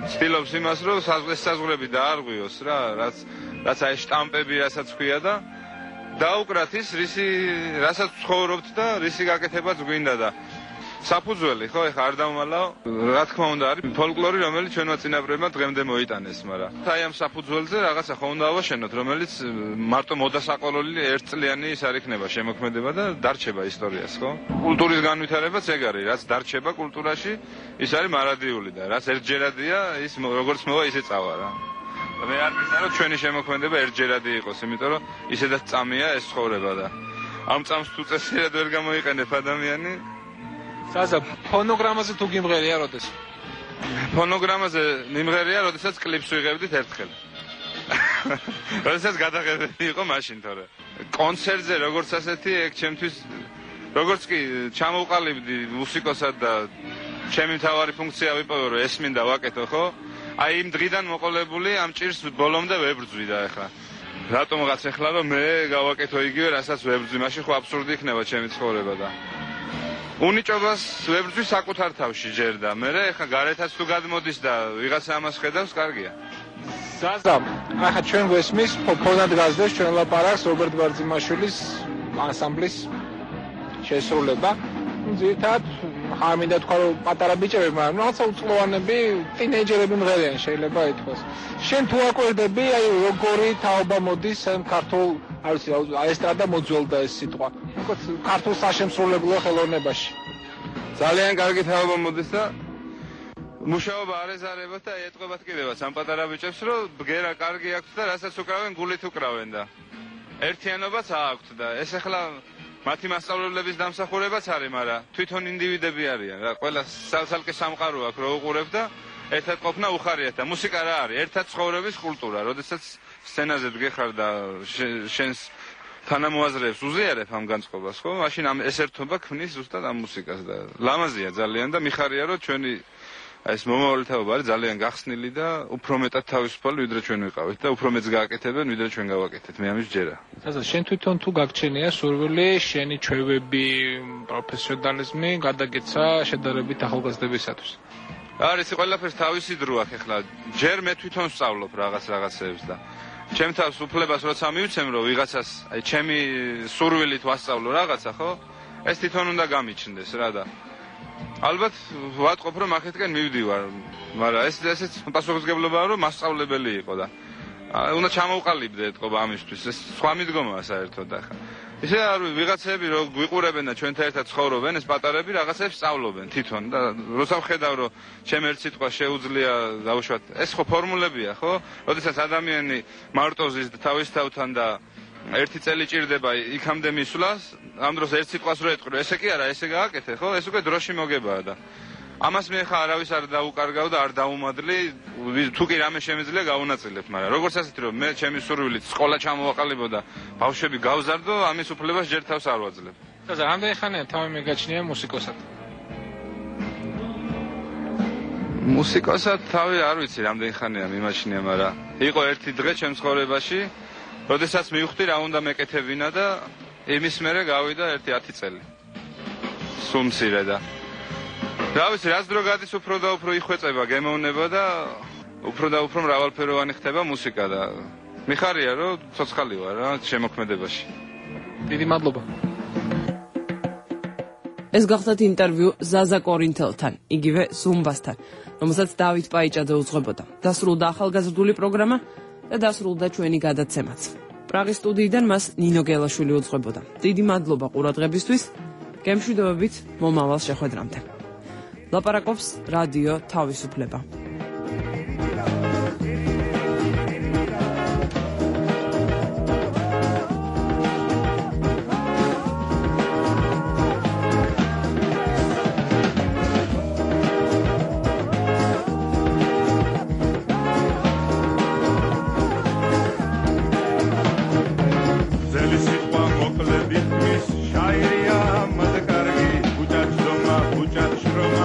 S20: ვცდილობს იმას რომ საზღვრები დაარღვიოს რა რაც აი შტამპები რასაც ქვია და დაუკრათ ის რასაც ცხოვრობთ და რისი გაკეთებაც გვინდა და საფუძველი ხო ეხა არ დავმალავ რა თქმა უნდა არის ფოლკლორი რომელიც ჩვენმა წინაპრებმა დღემდე მოიტანეს მაგრამ აი ამ საფუძველზე რაღაცა ხო უნდა ავაშენოთ რომელიც მარტო მოდასაყოლოли ერთწლიანი ის არ იქნება შემოქმედება და დარჩება ისტორიას ხო კულტურის განვითარებაც ეგ არის რაც დარჩება კულტურაში ის არის მარადიული და რაც ერთჯერადია ის როგორც მოვა ისე წავა რა მე არ მინდა რომ ჩვენი შემოქმედება ერთჯერადი იყოს იმიტომ რომ ისედაც წამია ეს ცხოვრება და ამ წამს თუ წესიერად ვერ გამოიყენებ ადამიანი
S8: ზაზა ფონოგრამაზე თუ გიმღერია როდეს
S20: ფონოგრამაზე მიმღერია როდესაც კლიპს ვიღებდით ერთხელ როდესაც გადაღებები იყო მაშინ თორე კონცერტზე როგორც ასეთი ეგ ჩემთვის როგორც კი ჩამოვყალიბდი მუსიკოსად და ჩემი მთავარი ფუნქცია ვიპოვე რომ ესმინდა ვაკეთო ხო აი იმ დღიდან მოყოლებული ამ ჭირს ბოლომდე ვებრძვი და ახლა რატომღაც ახლა რომ მე გავაკეთო იგივე რასაც ვებრძვი მაშინ ხო აბსურდი იქნება ჩემი ცხოვრება და უნიჭობას ვებრძვი საკუთარ თავში ჯერ და მე ახლა გარეთაც თუ გადმოდის და ვიღაცა ამას ხედავს კარგია
S8: ზაზა ახლა ჩვენ გვესმის ფონად გაზდეს ჩვენ ლაპარაკს რობერტ ბარძიმაშვილის ანსამბლის შესრულება ძირითადად არ მინდა თქვა რომ პატარა ბიჭები მაგრამ რაღაცა უწყლოვანები ტინეიჯერები მღერიან შეიძლება ითქვას შენ თუ აკვირდები აი როგორი თაობა მოდის ქართულ არ ვიცი ესტრადა მოძველდა ეს სიტყვა უკეთ ქართულ საშემსრულებლო ხელოვნებაში
S20: ძალიან კარგი თაობა მოდის და მუშაობა არ ეზარებათ და ეტყობათ კიდევაც ამ პატარა ბიჭებს რომ ბგერა კარგი აქვს და რასაც უკრავენ გულით უკრავენ და ერთიანობაც აქვთ და ეს ახლა მათი მასწავლებლების დამსახურებაც არის, მაგრამ თვითონ ინდივიდები არიან. რა ყველა სალსალკე სამყარო აქვს, რო უყურებ და ერთად ყოფნა უხარიათ და მუსიკა რა არის? ერთად ცხოვრების კულტურა. როდესაც სცენაზე დგეხარ და შენს თანამოაზრეებს უზიარებ ამ განწყობას, ხო? მაშინ ამ ეს ერთობა ქმნის ზუსტად ამ მუსიკას და ლამაზია ძალიან და მიხარია რომ ჩვენი ეს მომავალი თაობა არის ძალიან გახსნილი და უფრო მეტად თავისუფალი ვიდრე ჩვენ ვიყავით და უფრო მეც გააკეთებენ ვიდრე ჩვენ გავაკეთეთ. მე ამის ჯერა.
S8: ზაზა, შენ თვითონ თუ გაგჩენია სურვილი შენი ჩვევები, პროფესიონალიზმი გადაგეცა შედარებით ახალგაზრდებისათვის?
S20: არის ყველაფერს თავისი დრო აქვს ახლა. ჯერ მე თვითონ ვსწავლობ რაღაცეებს და ჩემ თავს უფლებას როცა მივცემ რომ ვიღაცას აი ჩემი სურვილით ვასწავლო რაღაცა, ხო? ეს თვითონ უნდა გამიჩნდეს რა და ალბათ ვატყობ რომ ახეთკენ მივდივარ, მაგრამ ესეც პასუხისმგებლობაა რომ მასწავლებელი იყო და უნდა ჩამოვყალიბდე ეთყობა ამისთვის. ეს სხვა მიდგომაა საერთოდ ახლა. ისე არ ვიღაცები რო გვიყურებენ და ჩვენთან ერთად ცხოვრობენ, ეს პატარები რაღაცებს სწავლობენ თვითონ და როცა ვხედავ რომ ჩემ ერთ სიტყვა შეუძლია დავუშვათ, ეს ხო ფორმულებია, ხო? როდესაც ადამიანი მარტოზის თავის თავთან და ერთი წელი ჭირდება იქამდე მისვლას, ამ დროს ერთ სიტყვას რო ეტყვი, ესე კი არა, ესე გააკეთე, ხო? ეს უკვე დროში მოგებაა და ამას მე ხა არავის არ დაუკარგავ და არ დაუმადლი, თუ კი რამე შემიძლია გავუნაწილებ, მაგრამ როგორც ასეთი რომ მე ჩემი სურვილით სკოლა ჩამოვაყალიბო და ბავშვები გავზარდო, ამის უფლებას ჯერ თავს არ ვაძლევ.
S8: ზაზა, რამდენი ხანია თავი მეგაჩნია მუსიკოსად?
S20: მუსიკოსად თავი არ ვიცი რამდენი ხანია მიმაჩნია, მაგრამ იყო ერთი დღე ჩემ ცხოვრებაში როდესაც მივხვდი რა უნდა მეკეთებინა და იმის მერე გავიდა ერთი 10 წელი. სულ მცირე და რა ვიცი, რაც დრო გადის უფრო და უფრო იხვეწება გემოვნება და უფრო მრავალფეროვანი ხდება მუსიკა და მიხარია რომ ცოცხალი ვარ რა შემოქმედებაში.
S8: დიდი მადლობა.
S1: ეს გახდათ ინტერვიუ ზაზა კორინთელთან, იგივე ზუმბასთან, რომელსაც დავით პაიჭაძე უძღვებოდა. დასრულდა ახალგაზრდული პროგრამა და დასრულდა ჩვენი გადაცემაც. პრაღის სტუდიიდან მას ნინო გელაშვილი უძღვებოდა. დიდი მადლობა ყურადღებისთვის. გემშვიდობებით მომავალ შეხვედრამდე. ლაპარაკობს რადიო თავისუფლება.